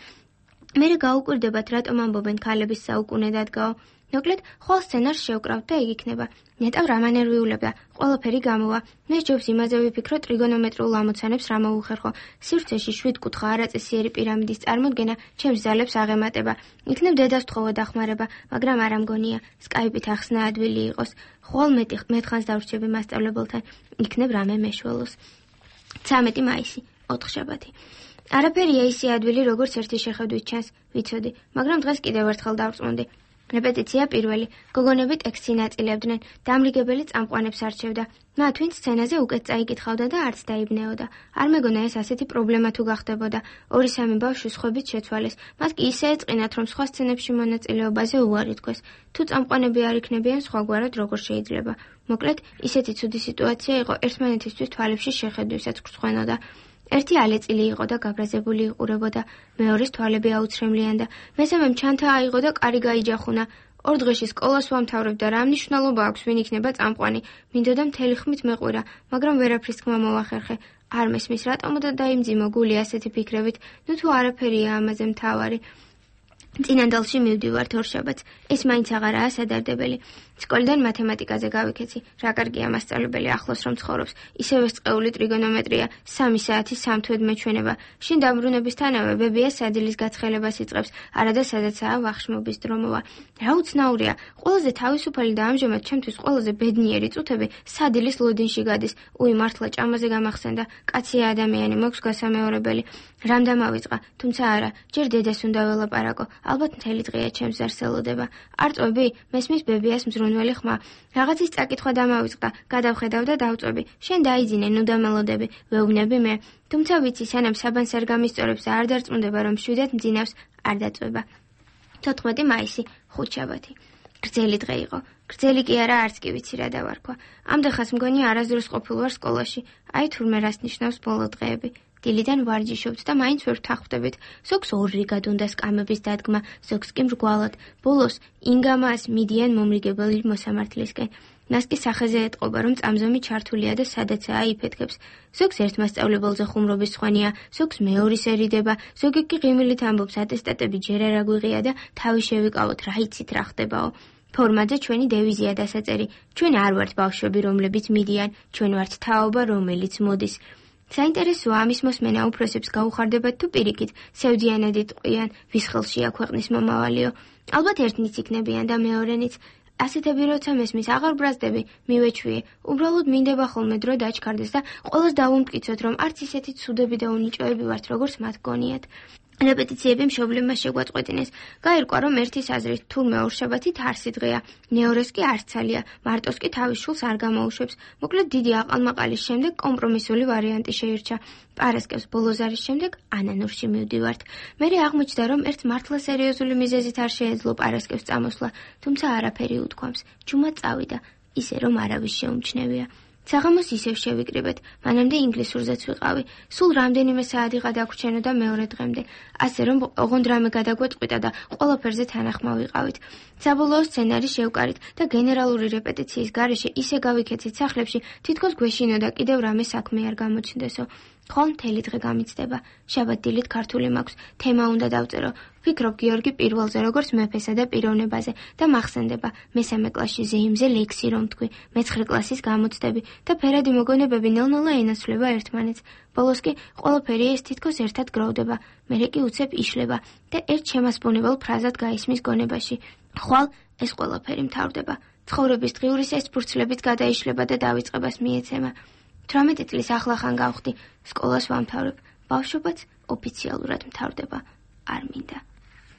მერე გაუკვირდებათ, რატომ ამბობენ ქალების საუკუნე დადგაო. მოკლედ, ხვალ სცენარს შევკრავთ და იქ იქნება. ნეტავ რა მანერვიულებდა, ყველაფერი გამოვა. მე ჯობს იმაზე ვიფიქრო ტრიგონომეტრიულ ამოცანებს რა მოუხერხო. სივრცეში შვიდკუთხა არაწესიერი პირამიდის წარმოდგენა ჩემს ძალებს აღემატება. იქნებ დედას თხოვა დახმარება, მაგრამ არ ამგონია. სკაიპით ახსნა ადვილი იყოს. ხვალ მეტი მეთხანს დავრჩები მასწავლებელთან. იქნებ რამე მეშველოს. ცამეტი მაისი, ოთხშაბათი. არაფერია ისე ადვილი, როგორც ერთი შეხედვით ჩანს, ვიცოდი, მაგრამ დღეს კიდევ ერთხელ დავწმუნდი. რეპეტიცია პირველი. გოგონები ტექსტს ინაწილებდნენ. დამრიგებელი წამყვანებს არჩევდა. მათ ვინც სცენაზე უკეთ წაიკითხავდა და არც დაიბნეოდა. არ მეგონა ეს ასეთი პრობლემა თუ გახდებოდა. ორი სამი ბავშვი სხვებით შეცვალეს. მათ კი ისე ეწყინათ, რომ სხვა სცენებში მონაწილეობაზე უარი თქვეს. თუ წამყვანები არ იქნებიან, სხვაგვარად როგორ შეიძლება. მოკლედ, ისეთი ცუდი სიტუაცია იყო, ერთმანეთისთვის თვალებში შეხედვისაც გრცხვენოდა. ერთი ალეწილი იყო და გაბრაზებული იყურებოდა, მეორეს თვალები აუცრემლიანდა, მესამემ ჩანთა აიღო და კარი გაიჯახუნა. ორ დღეში სკოლას ვამთავრებ და რა მნიშვნელობა აქვს ვინ იქნება წამყვანი. მინდოდა მთელი ხმით მეყვირა, მაგრამ ვერაფრის თქმა მოვახერხე. არ მესმის რატომ და დაიმძიმო გული ასეთი ფიქრებით, ნუ თუ არაფერია ამაზე მთავარი. წინანდალში მივდივართ ორშაბათს. ეს მაინც აღარაა სადარდებელი. სკოლიდან მათემატიკაზე გავიქეცი. რა კარგია მასწავლებელი ახლოს რომ ცხოვრობს. ისევე სწყეული ტრიგონომეტრია, სამი საათი სამთვედ მეჩვენება. შინ დამბრუნებისთანავე ბებია სადილის გაცხელებას იწყებს, არადა სადაცაა ვახშმობის დრომოვა. რა უცნაურია, ყველაზე თავისუფალი და ამჟამად ჩემთვის ყველაზე ბედნიერი წუთები სადილის ლოდინში გადის. უი მართლა ჭამაზე გამახსენდა. კაცია ადამიანი, მოქვს გასამეორებელი. რამ დამავიწყა, თუმცა არა, ჯერ დედას უნდა ველაპარაკო. ალბათ მთელი დღეა ჩემს ზარს ელოდება. არ წვები, მესმის ბებიას მზრუნველი ხმა. რაღაცის წაკითხვა დამავიწყდა, გადავხედავ და დავწვები. შენ დაიძინე, ნუ დამელოდები, ვეუბნები მე. თუმცა ვიცი, სანამ საბანს არ გამისწორებს და არ დარწმუნდება, რომ მშვიდად მძინავს, არ დაწვება. თოთხმეტი მაისი, ხუთშაბათი. გრძელი დღე იყო. გრძელი კი არა, არც კი ვიცი რა დავარქვა. ამდახას მგონი არასდროს ყოფილ ვარ სკოლაში. აი თურმე რას ნიშნავს ბოლო დღეები. დილიდან ვარჯიშობთ და მაინც ვერ ვთანხმდებით. ზოგს ორრიგად უნდა სკამების დადგმა, ზოგს კი მრგვალად. ბოლოს ინგამას მიდიან მომრიგებელი მოსამართლისკენ. მას კი სახეზე ეტყობა, რომ წამზომი ჩართულია და სადაცაა იფეთქებს. ზოგს ერთ მასწავლებელზე ხუმრობის სხვანია, ზოგს მეორისერიდება, ზოგი კი ღიმილით ამბობს, ატესტატები ჯერ არ აგვიღია და თავი შევიკავოთ, რა იცით რა ხდებაო. ფორმაზე ჩვენი დევიზია დასაწერი. ჩვენ არ ვართ ბავშვები, რომლებიც მიდიან, ჩვენ ვართ თაობა, რომელიც მოდის. საინტერესოა ამის მოსმენა უფროსებს გაუხარდებათ თუ პირიქით, სევდიანად იტყვიან, ვის ხელშია ქვეყნის მომავალიო. ალბათ ერთნიც იქნებიან და მეორენიც. ასეთები როცა მესმის აღარ ბრაზდები, მივეჩვიე. უბრალოდ მინდება ხოლმე დრო დაჩქარდეს და ყველას დავუმტკიცოთ, რომ არც ისეთი ცუდები და უნიჭოები ვართ, როგორც მათ გონიათ. რეპეტიციები მშობლებმა შეგვაწყვეტინეს. გაირკვა, რომ ერთის აზრით თურმე ორშაბათით არსი დღეა, მეორეს კი არცალია, მარტოს კი თავის შულს არ გამოუშვებს. მოკლედ დიდი აყალმაყალის შემდეგ კომპრომისული ვარიანტი შეირჩა. პარასკევს ბოლოზარის შემდეგ ანანურში მივდივართ. მერე აღმოჩნდა, რომ ერთ მართლა სერიოზული მიზეზით არ შეეძლო პარასკევს წამოსვლა, თუმცა არაფერი უთქვამს. ჯუმა წავიდა, ისე რომ არავის შეუმჩნევია. საღამოს ისევ შევიკრიბეთ, მანამდე ინგლისურზეც ვიყავი. სულ რამდენიმე საათი გადაგვრჩენოდა მეორე დღემდე, ასე რომ ოღონდ რამე გადაგვეტყვიტა და ყველაფერზე თანახმა ვიყავით. საბოლოო სცენარი შევკარით და გენერალური რეპეტიციის გარეშე ისე გავიქეცით სახლებში, თითქოს გვეშინოდა კიდევ რამე საქმე არ გამოჩნდესო. ხვალ მთელი დღე გამიცდება. შაბათ-დილით ქართული მაქვს, თემა უნდა დავწერო. ვფიქრობ გიორგი პირველზე, როგორც მეფესა და პიროვნებაზე და მახსენდება. მესამე კლასში ზეიმზე ლექსი რომ თქვი, მეცხრე კლასის გამოცდები და ფერადი მოგონებები ნელ-ნელა ენაცვლება ერთმანეთს. ბოლოს კი ყველაფერი ეს თითქოს ერთად გროვდება, მერე კი უცებ იშლება და ერთ შემასპონებელ ფრაზად გაისმის გონებაში. ხვალ ეს ყველაფერი მთავრდება. ცხოვრების დღიურის ეს ფურცლებით გადაიშლება და დავიწყებას მიეცემა. თვრამეტი წლის ახლახან გავხდი, სკოლას ვამთავრებ, ბავშვობაც ოფიციალურად მთავრდება. არ მინდა.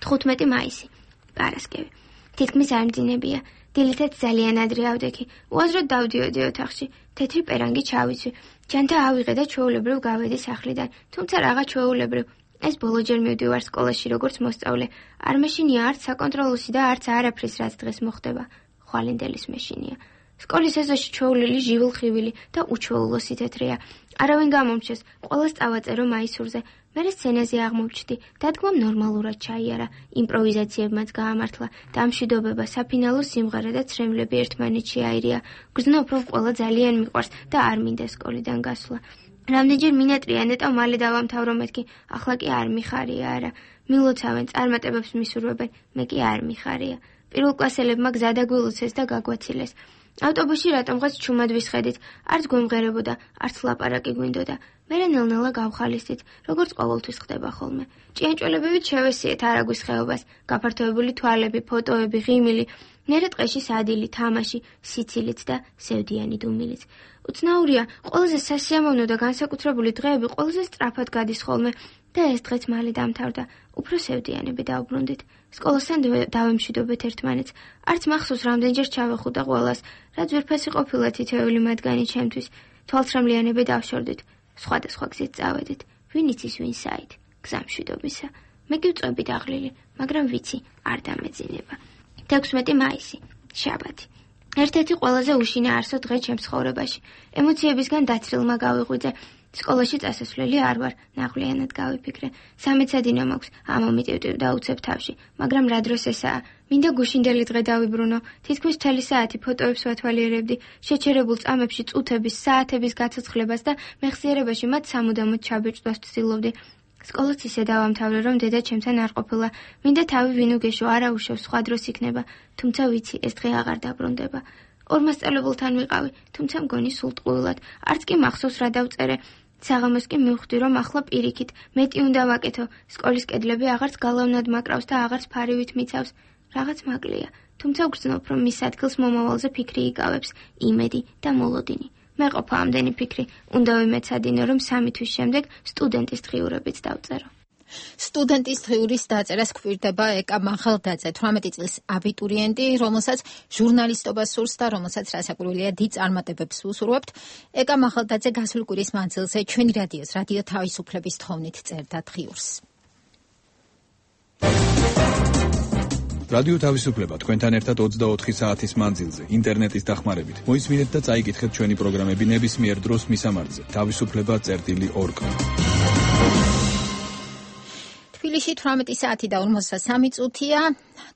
თხუთმეტი მაისი, პარასკევი. თითქმის არ მძინებია, დილითაც ძალიან ადრე ავდექი, უაზროდ დავდიოდი ოთახში, თეთრი პერანგი ჩავიცვი, ჯანთა ავიღე და ჩვეულებრივ გავედი სახლიდან, თუმცა რაღა ჩვეულებრივ. ეს ბოლოჯერ მივდივარ სკოლაში როგორც მოსწავლე, არ მეშინია არც საკონტროლოსი და არც არაფრის რაც დღეს მოხდება, ხვალინდელის მეშინია. სკოლის ეზოში ჩვეულილი ჟივილ-ხივილი და უჩვეულოსი თეთრია. არავინ გამომჩეს, ყველას წავაწერო მაისურზე. მერე სცენაზე აღმოჩნდი, დადგმამ ნორმალურად ჩაიარა, იმპროვიზაციებმაც გაამართლა, დამშვიდობება, საფინალო სიმღერა და ცრემლები ერთმანეთში აირია. გრძნობ, რომ ყველა ძალიან მიყვარს და არ მინდა სკოლიდან გასვლა. რამდენჯერ მინატრია ნეტავ მალე დავამთავრო მეთქი, ახლა კი არ მიხარია არა. მილოცავენ, წარმატებებს მისურვებენ, მე კი არ მიხარია. პირველკლასელებმა გზა დაგვილოცეს და გაგვაცილეს. ავტობუსში რატომღაც ჩუმად ვისხედით, არც გვემღერებოდა, არც ლაპარაკი გვინდოდა. მერე ნელ-ნელა გავხალისით, როგორც ყოველთვის ხდება ხოლმე. ჭიანჭველებივით შევესიეთ არაგვის ხეობას, გაფართოებული თვალები, ფოტოები, ღიმილი, მერე ტყეში სადილი, თამაში, სიცილიც და სევდიანი დუმილიც. უცნაურია, ყველაზე სასიამოვნო და განსაკუთრებული დღეები ყველაზე სწრაფად გადის ხოლმე და ეს დღეც მალე დამთავრდა. უფრო სევდიანები დავბრუნდით. სკოლასთან დავემშვიდობეთ ერთმანეთს. არც მახსოვს რამდენჯერ ჩავეხუტა ყველას, რაც ვერფასი ყოფილა თითოეული მათგანი ჩემთვის. თვალთრემლიანები დავშორდით. სხვადასხვა გზით წავედით. ვინ იცის ვინ საით, გზამშვიდობისა. მე კი ვწვევი დაღლილი, მაგრამ ვიცი, არ დამეძინება. თექვსმეტი მაისი, შაბათი. ერთ-ერთი ყველაზე უშინა არსო დღე ჩემს ცხოვრებაში. ემოციებისგან დაცრილმა გავიღვიძე. სკოლაში წასასვლელი არ ვარ, ნაღვლიანად გავიფიქრე. სამეცადინო მაქვს, ამომიტივტივ და უცებ თავში, მაგრამ რა დროს ესაა? მინდა გუშინდელი დღე დავიბრუნო, თითქმის მთელი საათი ფოტოებს ვათვალიერებდი, შეჩერებულ წამებში წუთების, საათების გაცოცხლებას და მეხსიერებაში მათ სამუდამოდ ჩაბეჭდვას ვცდილობდი. სკოლაც ისე დავამთავრე, რომ დედა ჩემთან არ ყოფილა. მინდა თავი ვინ უგეშო, არა უშევ, სხვა დროს იქნება, თუმცა ვიცი, ეს დღე აღარ დაბრუნდება. ორ მასწავლებელთან ვიყავი, თუმცა მგონი სულ ტყუილად, არც კი მახსოვს რა დავწერე. საღამოს კი მივხვდი, რომ ახლა პირიქით, მეტი უნდა ვაკეთო, სკოლის კედლები აღარც გალავნად მაკრავს და აღარც ფარივით მიცავს. რაღაც მაკლია, თუმცა ვგრძნობ, რომ მის ადგილს მომავალზე ფიქრი იკავებს, იმედი და მოლოდინი. მე ყოფა ამდენი ფიქრი, უნდა ვიმეცადინო, რომ სამი თვის შემდეგ სტუდენტის დღიურებიც დავწერო. სტუდენტის დღიურის დაწერას გვირდება ეკა მახალდაძე, თვრამეტი წლის აბიტურიენტი, რომელსაც ჟურნალისტობა სურს და რომელსაც რასაკვირველია დიდ წარმატებებს უსურვებთ. ეკა მახალდაძე გასული კვირის მანძილზე ჩვენი რადიოს, რადიო თავისუფლების თხოვნით წერდა დღიურს. რადიო თავისუფლება თქვენთან ერთად ოცდაოთხი საათის მანძილზე, ინტერნეტის დახმარებით. მოისმინეთ და წაიკითხეთ ჩვენი პროგრამები ნებისმიერ დროს მისამართზე. თავისუფლება წერტილი ორ კომ. თბილისში თვრამეტი საათი და ორმოცდასამი წუთია.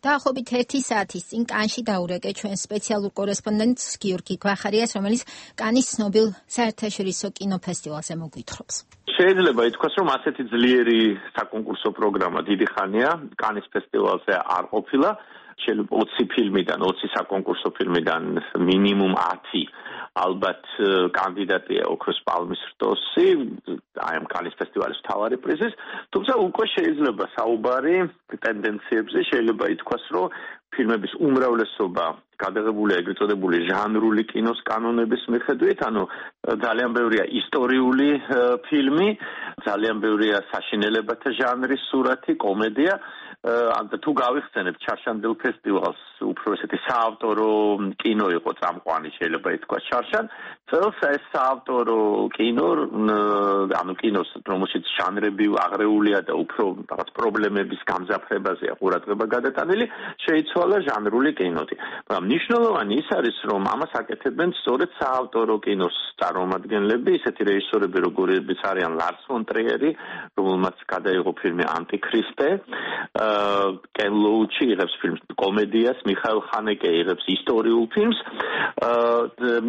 დაახლოებით ერთი საათის წინ კანში დაურეკე ჩვენ სპეციალურ კორესპონდენტს გიორგი გვახარიას, რომელიც კანის ცნობილ საერთაშორისო კინოფესტივალზე მოგვითხრობს. შეიძლება ითქვას, რომ ასეთი ძლიერი საკონკურსო პროგრამა დიდი ხანია კანის ფესტივალზე არ ყოფილა. შეიძლება ოცი ფილმიდან, ოცი საკონკურსო ფილმიდან მინიმუმ ათი ალბათ კანდიდატია ოქროს პალმის რტოსი, აი ამ კანის ფესტივალის მთავარი პრიზის, თუმცა უკვე შეიძლება საუბარი ტენდენციებზე, შეიძლება ითქვას, რომ ფილმების უმრავლესობა გადაღებულია ეგრეთ წოდებული ჟანრული კინოს კანონების მიხედვით, ანუ ძალიან ბევრია ისტორიული ფილმი, ძალიან ბევრია საშინელებათა ჟანრის სურათი, კომედია. ან თუ გავიხსენებთ ჩარშანდელ ფესტივალს, უფრო ესეთი საავტორო კინო იყო წამყვანი, შეიძლება ითქვას ჩარშან. წელს ეს საავტორო კინო, ანუ კინოს, რომელშიც ჟანრები აღრეულია და უფრო რაღაც პრობლემების გამძაფრებაზეა ყურადღება გადატანილი, შეიცვალა ჟანრული კინოთი. მაგრამ მნიშვნელოვანი ის არის, რომ ამას აკეთებენ სწორედ საავტორო კინოს წარმომადგენლები, ისეთი რეჟისორები, როგორებიც არიან ლარს ფონ ტრიერი, რომელმაც გადაიღო ფილმი ანტიქრისტე, კენ ლოუჩი იღებს ფილმს კომედიას, მიხაილ ხანეკე იღებს ისტორიულ ფილმს.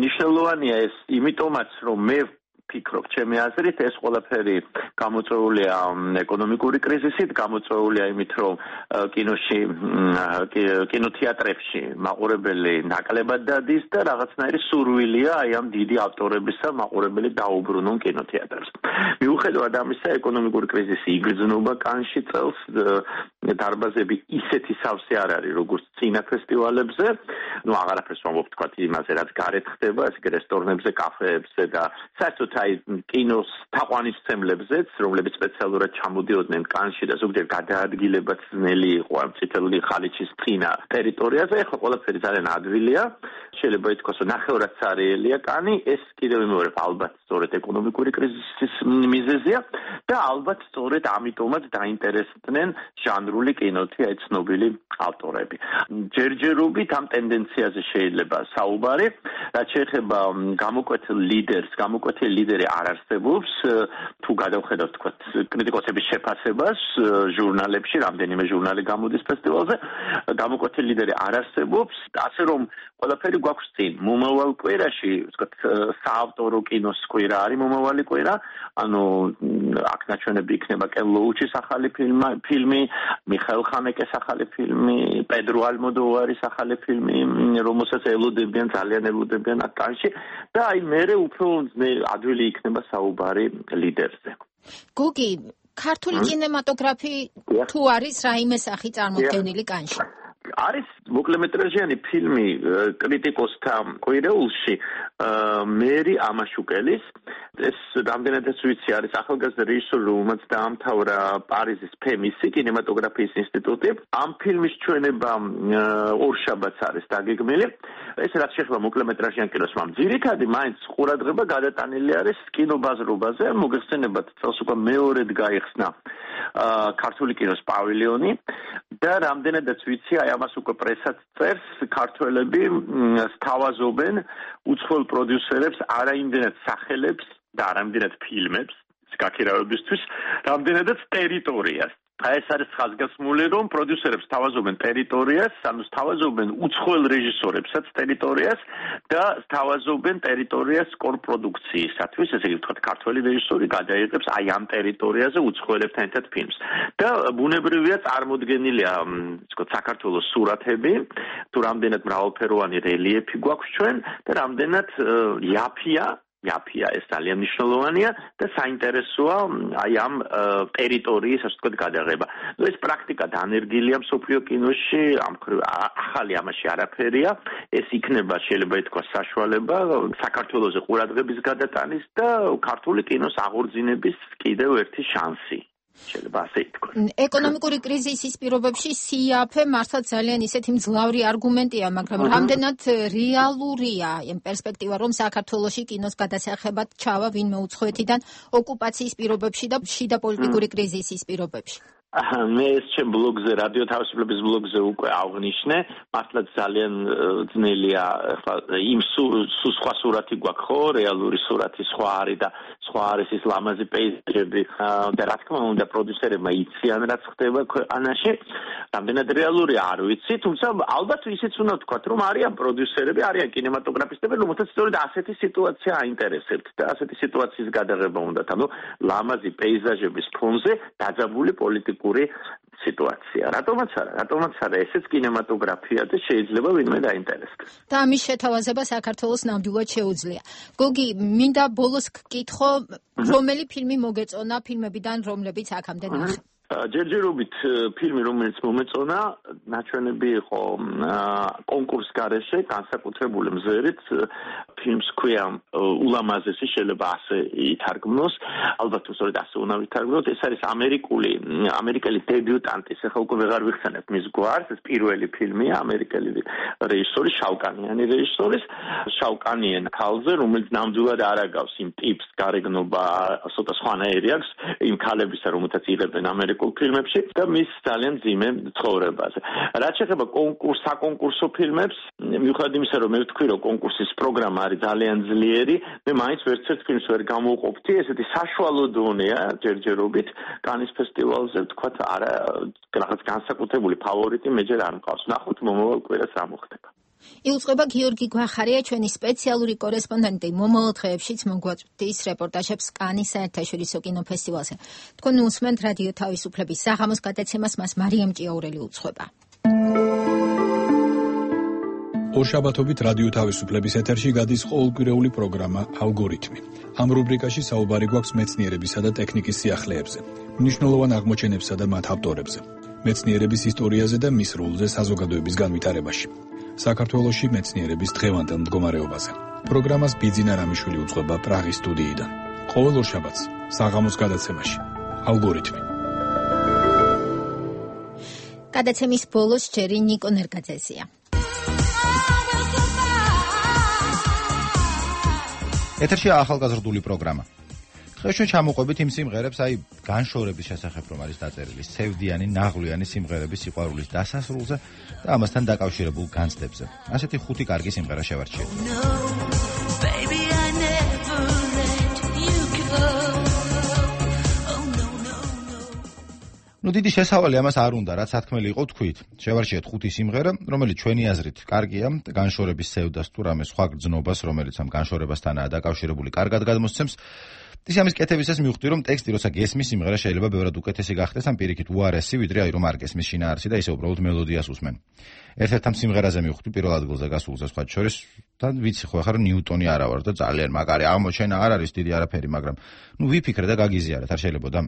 მნიშვნელოვანია ეს იმიტომაც, რომ მე ფიქრობ, ჩემი აზრით, ეს ყველაფერი გამოწვეულია ეკონომიკური კრიზისით, გამოწვეულია იმით, რომ კინოში, კინოთეატრებში მაყურებელი ნაკლებად დადის და რაღაცნაირი სურვილია აი ამ დიდი ავტორებისა მაყურებელი დაუბრუნონ კინოთეატრებს. მიუხედავად ამისა, ეკონომიკური კრიზისი იგრძნობა კანში წელს, დარბაზები ისეთი სავსე არ არის, როგორც წინა ფესტივალებზე. ნუ აღარაფერს ვამბობ თქვა იმაზე, რაც გარეთ ხდება, ეს რესტორნებზე, კაფეებზე და საერთოდ აი კინოს თაყვანისმცემლებზეც, რომლებიც სპეციალურად ჩამოდიოდნენ კანში და ზოგჯერ გადაადგილებაც ძნელი იყო ამ წითელი ხალიჩის წინა ტერიტორიაზე, ეხლა ყველაფერი ძალიან ადვილია. შეიძლება ითქვას, რომ ნახევრადსარიელია კანი, ეს კიდევ მეორე ალბათ სწორედ ეკონომიკური კრიზისის მიზეზია და ალბათ სწორედ ამიტომაც დაინტერესდნენ ჟანრული კინოთი აი ცნობილი ავტორები. ჯერჯერობით ამ ტენდენციაზე შეიძლება საუბარი, რაც შეეხება გამოკვეთილ ლიდერს, გამოკვეთილი ლიდერი არ არსებობს, თუ გადავხედავთ თქვა კრიტიკოსების შეფასებას ჟურნალებში, რამდენიმე ჟურნალი გამოდის ფესტივალზე, გამოკვეთილი ლიდერი არ არსებობს, ასე რომ ყველაფერი გვაქვს წინ. მომავალ კვირაში, ვთქვათ, საავტორო კინოს კვირა არის მომავალი კვირა, ანუ აქ ნაჩვენები იქნება კენ ლოუჩის ახალი ფილმი, მიხაილ ხანეკეს ახალი ფილმი, პედრო ალმოდოვარის ახალი ფილმი, რომელსაც ელოდებიან, ძალიან ელოდებიან აქ კანში და აი მერე უფრო ადვილი იქნება საუბარი ლიდერზე. გუგი, ქართული კინემატოგრაფი თუ არის რაიმე სახი წარმოდგენილი კანში? არის მოკლემეტრაჟიანი ფილმი კრიტიკოსთა კვირეულში მერი ამაშუკელის, ეს რამდენადაც ვიცი არის ახალგაზრდა რეჟისორი, რომელმაც დაამთავრა პარიზის ფემისი კინემატოგრაფიის ინსტიტუტი. ამ ფილმის ჩვენება ორშაბათს არის დაგეგმილი. ეს რაც შეეხება მოკლემეტრაჟიან კინოს, მაგრამ ძირითადი მაინც ყურადღება გადატანილი არის კინობაზრობაზე. მოგეხსენებათ, წელს უკვე მეორედ გაიხსნა ქართული კინოს პავილიონი და რამდენადაც ვიცი, აი ამას უკვე პრესაც წერს, ქართველები სთავაზობენ უცხოელ პროდიუსერებს, არაიმდენად სახელებს და არაიმდენად ფილმებს გაქირავებისთვის, რამდენადაც ტერიტორიას. აი ეს არის ხაზგასმული, რომ პროდიუსერებს სთავაზობენ ტერიტორიას, ანუ სთავაზობენ უცხოელ რეჟისორებსაც ტერიტორიას და სთავაზობენ ტერიტორიას კორპროდუქციისათვის, ესე იგი ვთქვათ, ქართველი რეჟისორი გადაიღებს აი ამ ტერიტორიაზე უცხოელებთან ერთად ფილმს. და ბუნებრივია წარმოდგენილია, ვთქვათ, საქართველოს სურათები, თუ რამდენად მრავალფეროვანი რელიეფი გვაქვს ჩვენ და რამდენად იაფია იაფია ეს ძალიან მნიშვნელოვანია და საინტერესოა აი ამ ტერიტორიის, ასე ვთქვათ, გადაღება. ნუ ეს პრაქტიკა დანერგილია მსოფლიო კინოში, ამ ახალი ამაში არაფერია. ეს იქნება, შეიძლება ითქვას, საშუალება საქართველოზე ყურადღების გადატანის და ქართული კინოს აღორძინების კიდევ ერთი შანსი. შეიძლება ასე ითქვას. ეკონომიკური კრიზისის პირობებში სიაფე მართლა ძალიან ისეთი მძლავრი არგუმენტია, მაგრამ რამდენად რეალურია იმ პერსპექტივა, რომ საქართველოში კინოს გადასახებად ჩავა ვინმე უცხოეთიდან ოკუპაციის პირობებში და შიდა პოლიტიკური კრიზისის პირობებში? მე ეს ჩემ ბლოგზე, რადიო თავისუფლების ბლოგზე უკვე აღნიშნე, მართლა ძალიან ძნელია, ახლა იმ სხვა სურათი გვაქვს, ხო, რეალური სურათი სხვა არის და სხვა არის ის ლამაზი პეიზაჟები და რა თქმა უნდა პროდიუსერებმა იციან რაც ხდება ქვეყანაში, რამდენად რეალურია არ ვიცი, თუმცა ალბათ ისიც უნდა ვთქვათ, რომ არიან პროდიუსერები, არიან კინემატოგრაფისტები, რომელთაც სწორედ ასეთი სიტუაცია აინტერესებთ და ასეთი სიტუაციის გადაღება უნდათ, ანუ ლამაზი პეიზაჟების ფონზე დაძაბული პოლიტიკური სიტუაცია. რატომაც არა, რატომაც არა, ესეც კინემატოგრაფია და შეიძლება ვინმე დაინტერესდეს. და ამის შეთავაზება საქართველოს ნამდვილად შეუძლია. გოგი, მინდა ბოლოს გკითხო, რომელი ფილმი მოგეწონა ფილმებიდან, რომლებიც აქამდე ნახე? ჯერჯერობით ფილმი, რომელიც მომეწონა, ნაჩვენები იყო კონკურს გარეშე, განსაკუთრებული მზერით, ფილმს ქვია ულამაზესი, შეიძლება ასე ითარგმნოს, ალბათ უსწორედ ასე უნდა ვითარგმნოთ, ეს არის ამერიკული, ამერიკელი დებიუტანტის, ახლა უკვე ვეღარ ვიხსენებ მის გვარს, ეს პირველი ფილმია, ამერიკელი რეჟისორის, შავკანიანი რეჟისორის, შავკანიან ქალზე, რომელიც ნამდვილად არ აგავს იმ ტიპს, გარეგნობა, ცოტა სხვანაირი აქვს, იმ ქალებისა, რომელთაც იღებენ ამერიკ ფილმებში და მის ძალიან ძიმე ცხოვრებაზე. რაც შეეხება კონკურს, საკონკურსო ფილმებს, მიუხედავად იმისა, რომ მე ვთქვი, რომ კონკურსის პროგრამა არის ძალიან ძლიერი, მე მაინც ვერცერთ ფილმს ვერ გამოვყოფთი, ესეთი საშუალო დონეა ჯერჯერობით კანის ფესტივალზე, ვთქვათ, არა, რაღაც განსაკუთრებული ფავორიტი მე ჯერ არ მყავს. ნახოთ მომავალ კვირას რა მოხდება. იუწყება გიორგი გვახარია, ჩვენი სპეციალური კორესპონდენტი მომავალ დღეებშიც მოგვაწვდის რეპორტაჟებს კანის საერთაშორისო კინოფესტივალზე. თქვენ უსმენთ რადიო თავისუფლების საღამოს გადაცემას, მას მარიამ ჭიაურელი უძღვება. ორშაბათობით რადიო თავისუფლების ეთერში გადის ყოველკვირეული პროგრამა ალგორითმი. ამ რუბრიკაში საუბარი გვაქვს მეცნიერებისა და ტექნიკის სიახლეებზე, მნიშვნელოვან აღმოჩენებსა და მათ ავტორებზე, მეცნიერების ისტორიაზე და მის როლზე საზოგადოების განვითარებაში. საქართველოში მეცნიერების დღევანდელ მდგომარეობაზე. პროგრამას ბიძინა რამიშვილი უძღვება პრაღის სტუდიიდან. ყოველ ორშაბათს საღამოს გადაცემაში ალგორითმი. გადაცემის ბოლოს ჯერი ნიკო ნერგაძეზია. ეთერშია ახალგაზრდული პროგრამა. დღეს ჩამოყვებით იმ სიმღერებს, აი განშორების შესახებ რომ არის დაწერილი სევდიანი, ნაღვლიანი სიმღერების სიყვარულის დასასრულზე და ამასთან დაკავშირებულ განცდებზე. ასეთი ხუთი კარგი სიმღერა შევარჩიეთ. ნუ დიდი შესავალი ამას არ უნდა, რაც სათქმელი იყო თქვით. შევარჩიეთ ხუთი სიმღერა, რომელიც ჩვენი აზრით კარგია, განშორების სევდას თუ რამე სხვა გრძნობას, რომელიც ამ განშორებასთანაა დაკავშირებული, კარგად გადმოსცემს. ის ამის კეთებისას მივხვდი, რომ ტექსტი როცა გესმის, სიმღერა შეიძლება ბევრად უკეთესი გახდეს, ამ პირიქით უარესი, ვიდრე აი რომ არ გესმის შინაარსი და ისე უბრალოდ მელოდიას უსმენ. ერთ-ერთ ამ სიმღერაზე მივხვდი პირველ ადგილზე გასულზე სხვა შორის და ვიცი ხო ახლა რომ ნიუტონი არა ვარ და ძალიან მაგარი აღმოჩენა არ არის დიდი არაფერი, მაგრამ ნუ ვიფიქრე და გაგიზიარეთ, არ შეიძლებოდა.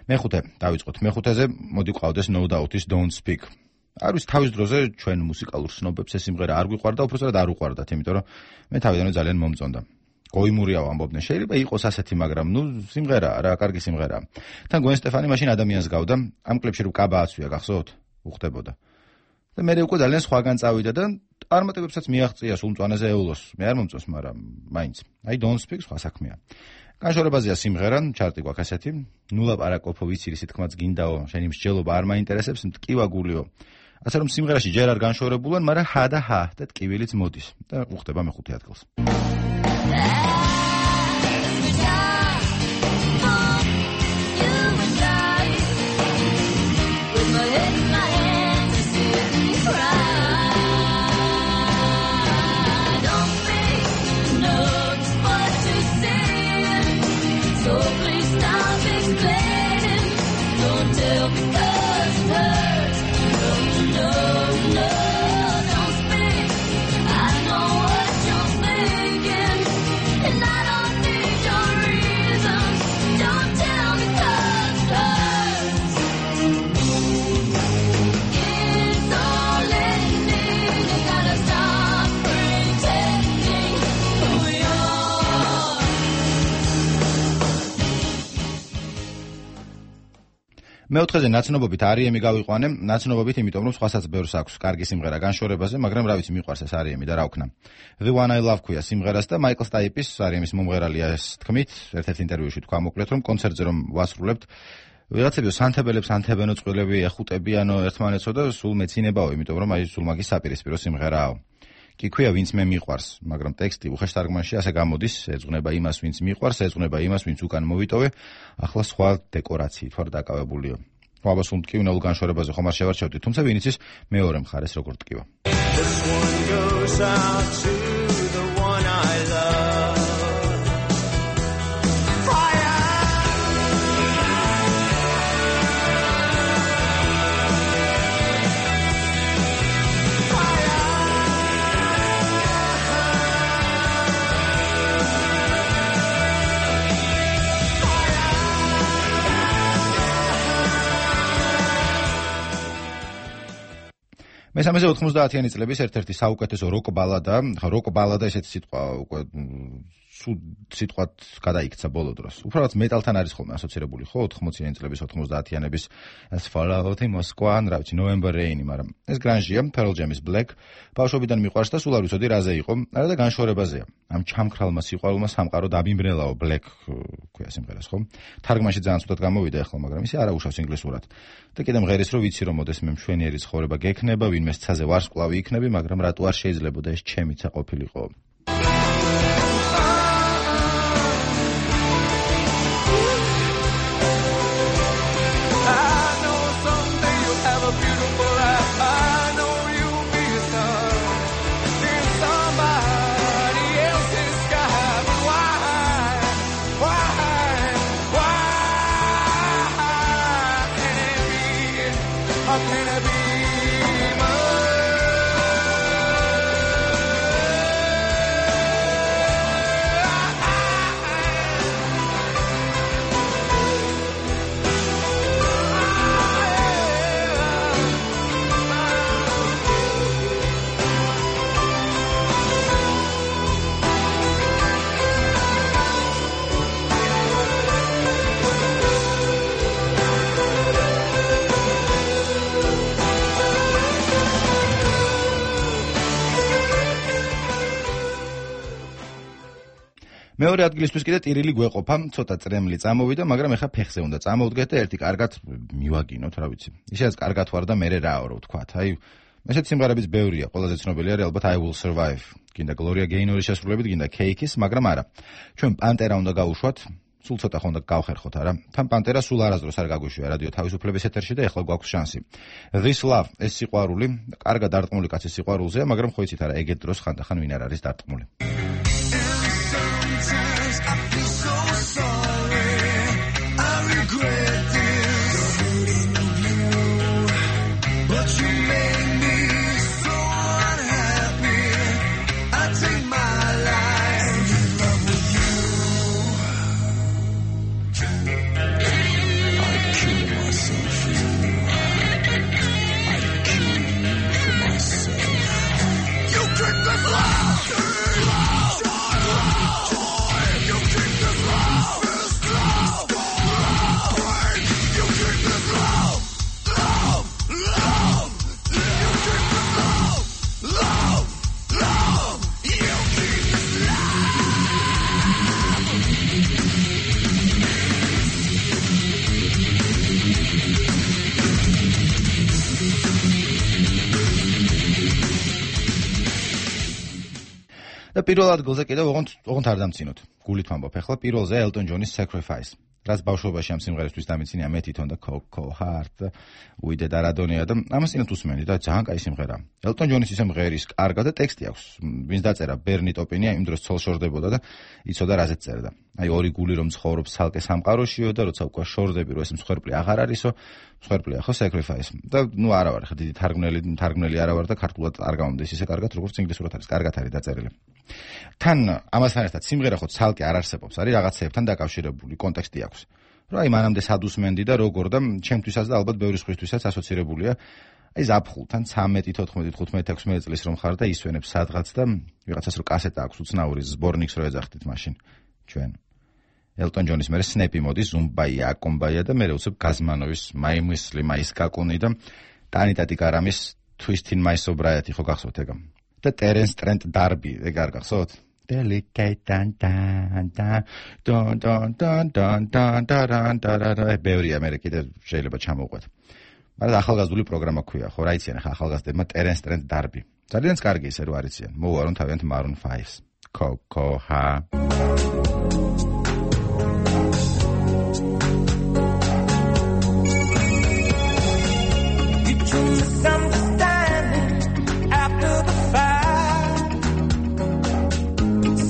მეხუთე, დავიწყოთ. მეხუთეზე მოდი ყავდეს No Doubt-ის Don't Speak. არ ვიცი თავის დროზე ჩვენ მუსიკალურ სნობებს ეს სიმღერა არ გვიყვარდა, უბრალოდ არ უყვარდათ, იმიტომ რომ მე თავიდანვე ძალიან მომწონდა. გოიმურიაო ამბობდნენ, შეიძლება იყოს ასეთი, მაგრამ ნუ სიმღერაა რა, კარგი სიმღერაა. თან გვენ სტეფანი მაშინ ადამიანს გავდა, ამ კლიპში რომ კაბა აცვია, გახსოვთ? უხდებოდა. და მე უკვე ძალიან სხვაგან წავიდა და წარმატებებსაც მიაღწია სულ მწვანეზე ეულოს. მე არ მომწონს, მაგრამ მაინც. აი Don't Speak სხვა საქმეა. განშორებაზეა სიმღერა, ჩარტი გვაქვს ასეთი. ნუ ლაპარაკობო, ვიცი რისი თქმაც გინდაო, შენი მსჯელობა არ მაინტერესებს, მტკივა გულიო. ასე რომ სიმღერაში ჯერ არ განშორებულან, მაგრამ ჰა და ჰა და ტკივილიც მოდის და უხდება მეხუთე ადგილს. მეოთხეზე ნაცნობობით არიემი გავიყვანე, ნაცნობობით იმიტომ რომ სხვასაც ბევრს აქვს კარგი სიმღერა განშორებაზე, მაგრამ რა ვიცი მიყვარს ეს არიემი და რა ვქნა. The One I Love ქვია სიმღერას და მაიკლ სტაიპის არიემის მომღერალია ეს თქმით, ერთ-ერთ ინტერვიუში თქვა მოკლედ რომ კონცერტზე რომ ვასრულებთ, ვიღაცები სანთებელებს ანთებენო წყვილები ეხუტებიანო ერთმანეთსო და სულ მეცინებაო, იმიტომ რომ აი სულ მაგის საპირისპირო სიმღერაო. კი ქვია ვინც მე მიყვარს, მაგრამ ტექსტი უხეშ თარგმანში ასე გამოდის, ეძღვნება იმას ვინც მიყვარს, ეძღვნება იმას ვინც უკან მოვიტოვე, ახლა სხვა დეკორაციით ვარ დაკავებულიო. აბა სულ მტკივნეულ განშორებაზე ხომ არ შევარჩევდი, თუმცა ვინ იცის მეორე მხარეს როგორ ტკივა. მესამეზე ოთხმოცდაათიანი წლების ერთ-ერთი საუკეთესო როკ ბალადა, როკ ბალადა ესეთი სიტყვა უკვე სულ სიტყვად გადაიქცა ბოლო დროს. უბრალოდ მეტალთან არის ხოლმე ასოცირებული, ხო, ოთხმოციანი წლების ოთხმოცდაათიანების ეს Fallout Moscow, რა ვიცი, November Rain, მაგრამ ეს grunge-ია, Pearl Jam-ის Black. ბავშვობიდან მიყვარს და სულ არ ვიცოდი რაზე იყო, არა და განშორებაზეა. ამ ჩამქრალმა სიყვარულმა სამყარო დაბიმბრელაო Black ქვია სიმღერას, ხო? თარგმანში ძალიან ცუდად გამოვიდა ახლა, მაგრამ ისე არა უშავს ინგლისურად. და კიდე მღერის რო ვიცი რომ მოდეს მე მშვენიერი ცხოვრება გექნება, ვინმე ცაზე ვარსკვლავი იქნები, მაგრამ რატო არ შეიძლებოდა ეს ჩემიცა ყოფილიყო. მეორე ადგილისთვის კიდე ტირილი გვეყოფა, ცოტა წრემლი წამოვიდა, მაგრამ ეხა ფეხზე უნდა წამოვდგეთ და ერთი კარგად მივაგინოთ, რა ვიცი. ისედაც კარგად ვარ და მერე რა აორო ვთქვათ. აი, ესეთი სიმღერებიც ბევრია, ყველაზე ცნობილი არის ალბათ I Will Survive. გინდა Gloria Gaynoris შესრულებით, გინდა Cake-ის, მაგრამ არა. ჩვენ პანტერა უნდა გავუშვათ, სულ ცოტა ხო უნდა გავხერხოთ, არა? თან პანტერა სულ არასდროს არ გაგვიშვია რადიო თავისუფლების ეთერში და ეხლა გვაქვს შანსი. This Love, ეს სიყვარული, კარგად დარტყმული კაცის სიყვარულზეა, მაგრამ ხო იცით არა, ეგეთ დროს ხანდახან ვინ არ არის დარტყმული. Sometimes I feel so sorry, I regret this, hurting you, but you made me so unhappy, I take my life in love with you, I kill myself for you, I kill you for myself, you keep this love, და პირველ ადგილზე კიდევ ოღონდ ოღონდ არ დამცინოთ. გულით ვამბობ ახლა პირველზე Elton John-ის Sacrifice. რაც ბავშვობაში ამ სიმღერისთვის დამიცინია მე თვითონ და Coco Heart და უიდე და რადონია და ამას წინათ უსმენდი და ძალიან კაი სიმღერა. Elton John-ის ისე მღერის კარგა და ტექსტი აქვს. ვინც დაწერა Bernie Taupin-ია იმ დროს ცოლ-შორდებოდა და იცოდა რაზეც წერდა. აი ორი გული რომ ცხოვრობს ცალკე სამყაროშიო და როცა უკვე შორდები რომ ეს მსხვერპლი აღარ არისო, მსხვერპლია ხო Sacrifice. და ნუ არა ვარ ხა დიდი თარგმნელი, თარგმნელი არა ვარ და ქართულად არ გამომდის ისე კარგად როგორც ინგლისურად არის, კარგად არის დაწერილი. თან ამასთან ერთად სიმღერა ხო ცალკე არ არსებობს, არის რაღაცეებთან დაკავშირებული კონტექსტი აქვს. რა აი მანამდე სადუსმენდი და როგორ და ჩემთვისაც და ალბათ ბევრი სხვისთვისაც ასოცირებულია. აი ზაფხულთან ცამეტი, თოთხმეტი, თხუთმეტი, ექვსმეტი წლის რომ ხარ და ისვენებს სადღაც და ვიღაცას რო კასეტა აქვს უცნაური ზბორნიკს რო ეძახდით მაშინ ჩვენ. Elton John-ის მერე Snap მოდის, Zumbaia, Akombaia და მერე უცებ Gazmanovis My Muslim, My Skakuni და Tanita Tikaramis Twist in My Sobriety ხო გახსოვთ ეგ? და Terence Trent D'Arby, ეგ არ გახსოვთ? Delicate dan dan dan don don don don don dan dan dan ბევრია მე კიდე შეიძლება ჩამოვყვეთ. მაგრამ ახალგაზრდული პროგრამა ქვია, ხო რა იციან ახლა ახალგაზრდებმა Terence Trent D'Arby. ძალიან კარგი ისე რო არიციან. მოვარონ თავიანთ Maroon five-ს. Coco Ha.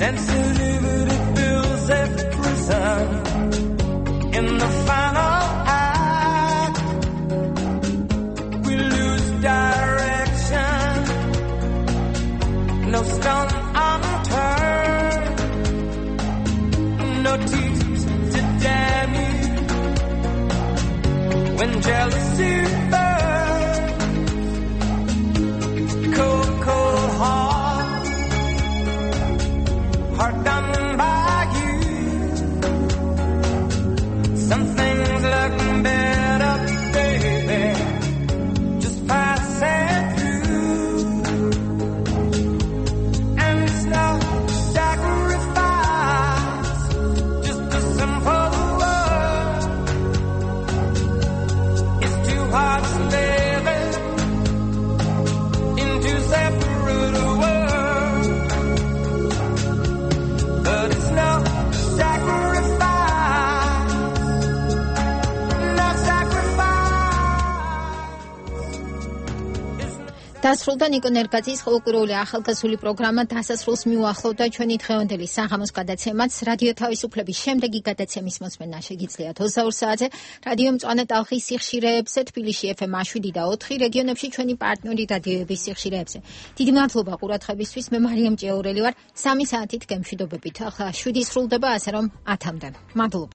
Sensitivity fills every prison. In the final act, we lose direction. No stone unturned, no tears to damn you. When jealousy burns, looking better, baby. Just passing through, and it's no sacrifice, just a simple word. It's two hearts living in two separate worlds, but it's no sacrifice, no sacrifice. დასრულდა ნიკო ნერგაძის ხალხური ახალგაზრდული პროგრამა დასასრულს მიუახლოვდა ჩვენი დღევანდელი საღამოს გადაცემაც. რადიო თავისუფლების შემდეგი გადაცემის მოსმენა შეგიძლიათ ოცდაორ საათზე რადიო მწვანე ტალღის სიხშირეებზე, თბილისში ეფ ემ შვიდი და ოთხი, რეგიონებში ჩვენი პარტნიორი რადიოების სიხშირეებზე. დიდი მადლობა ყურადღებისთვის. მე მარიამ ჭეურელი ვარ. სამი საათით გემშვიდობებით. ახლა შვიდი სრულდება, ასე რომ ათამდე. მადლობა.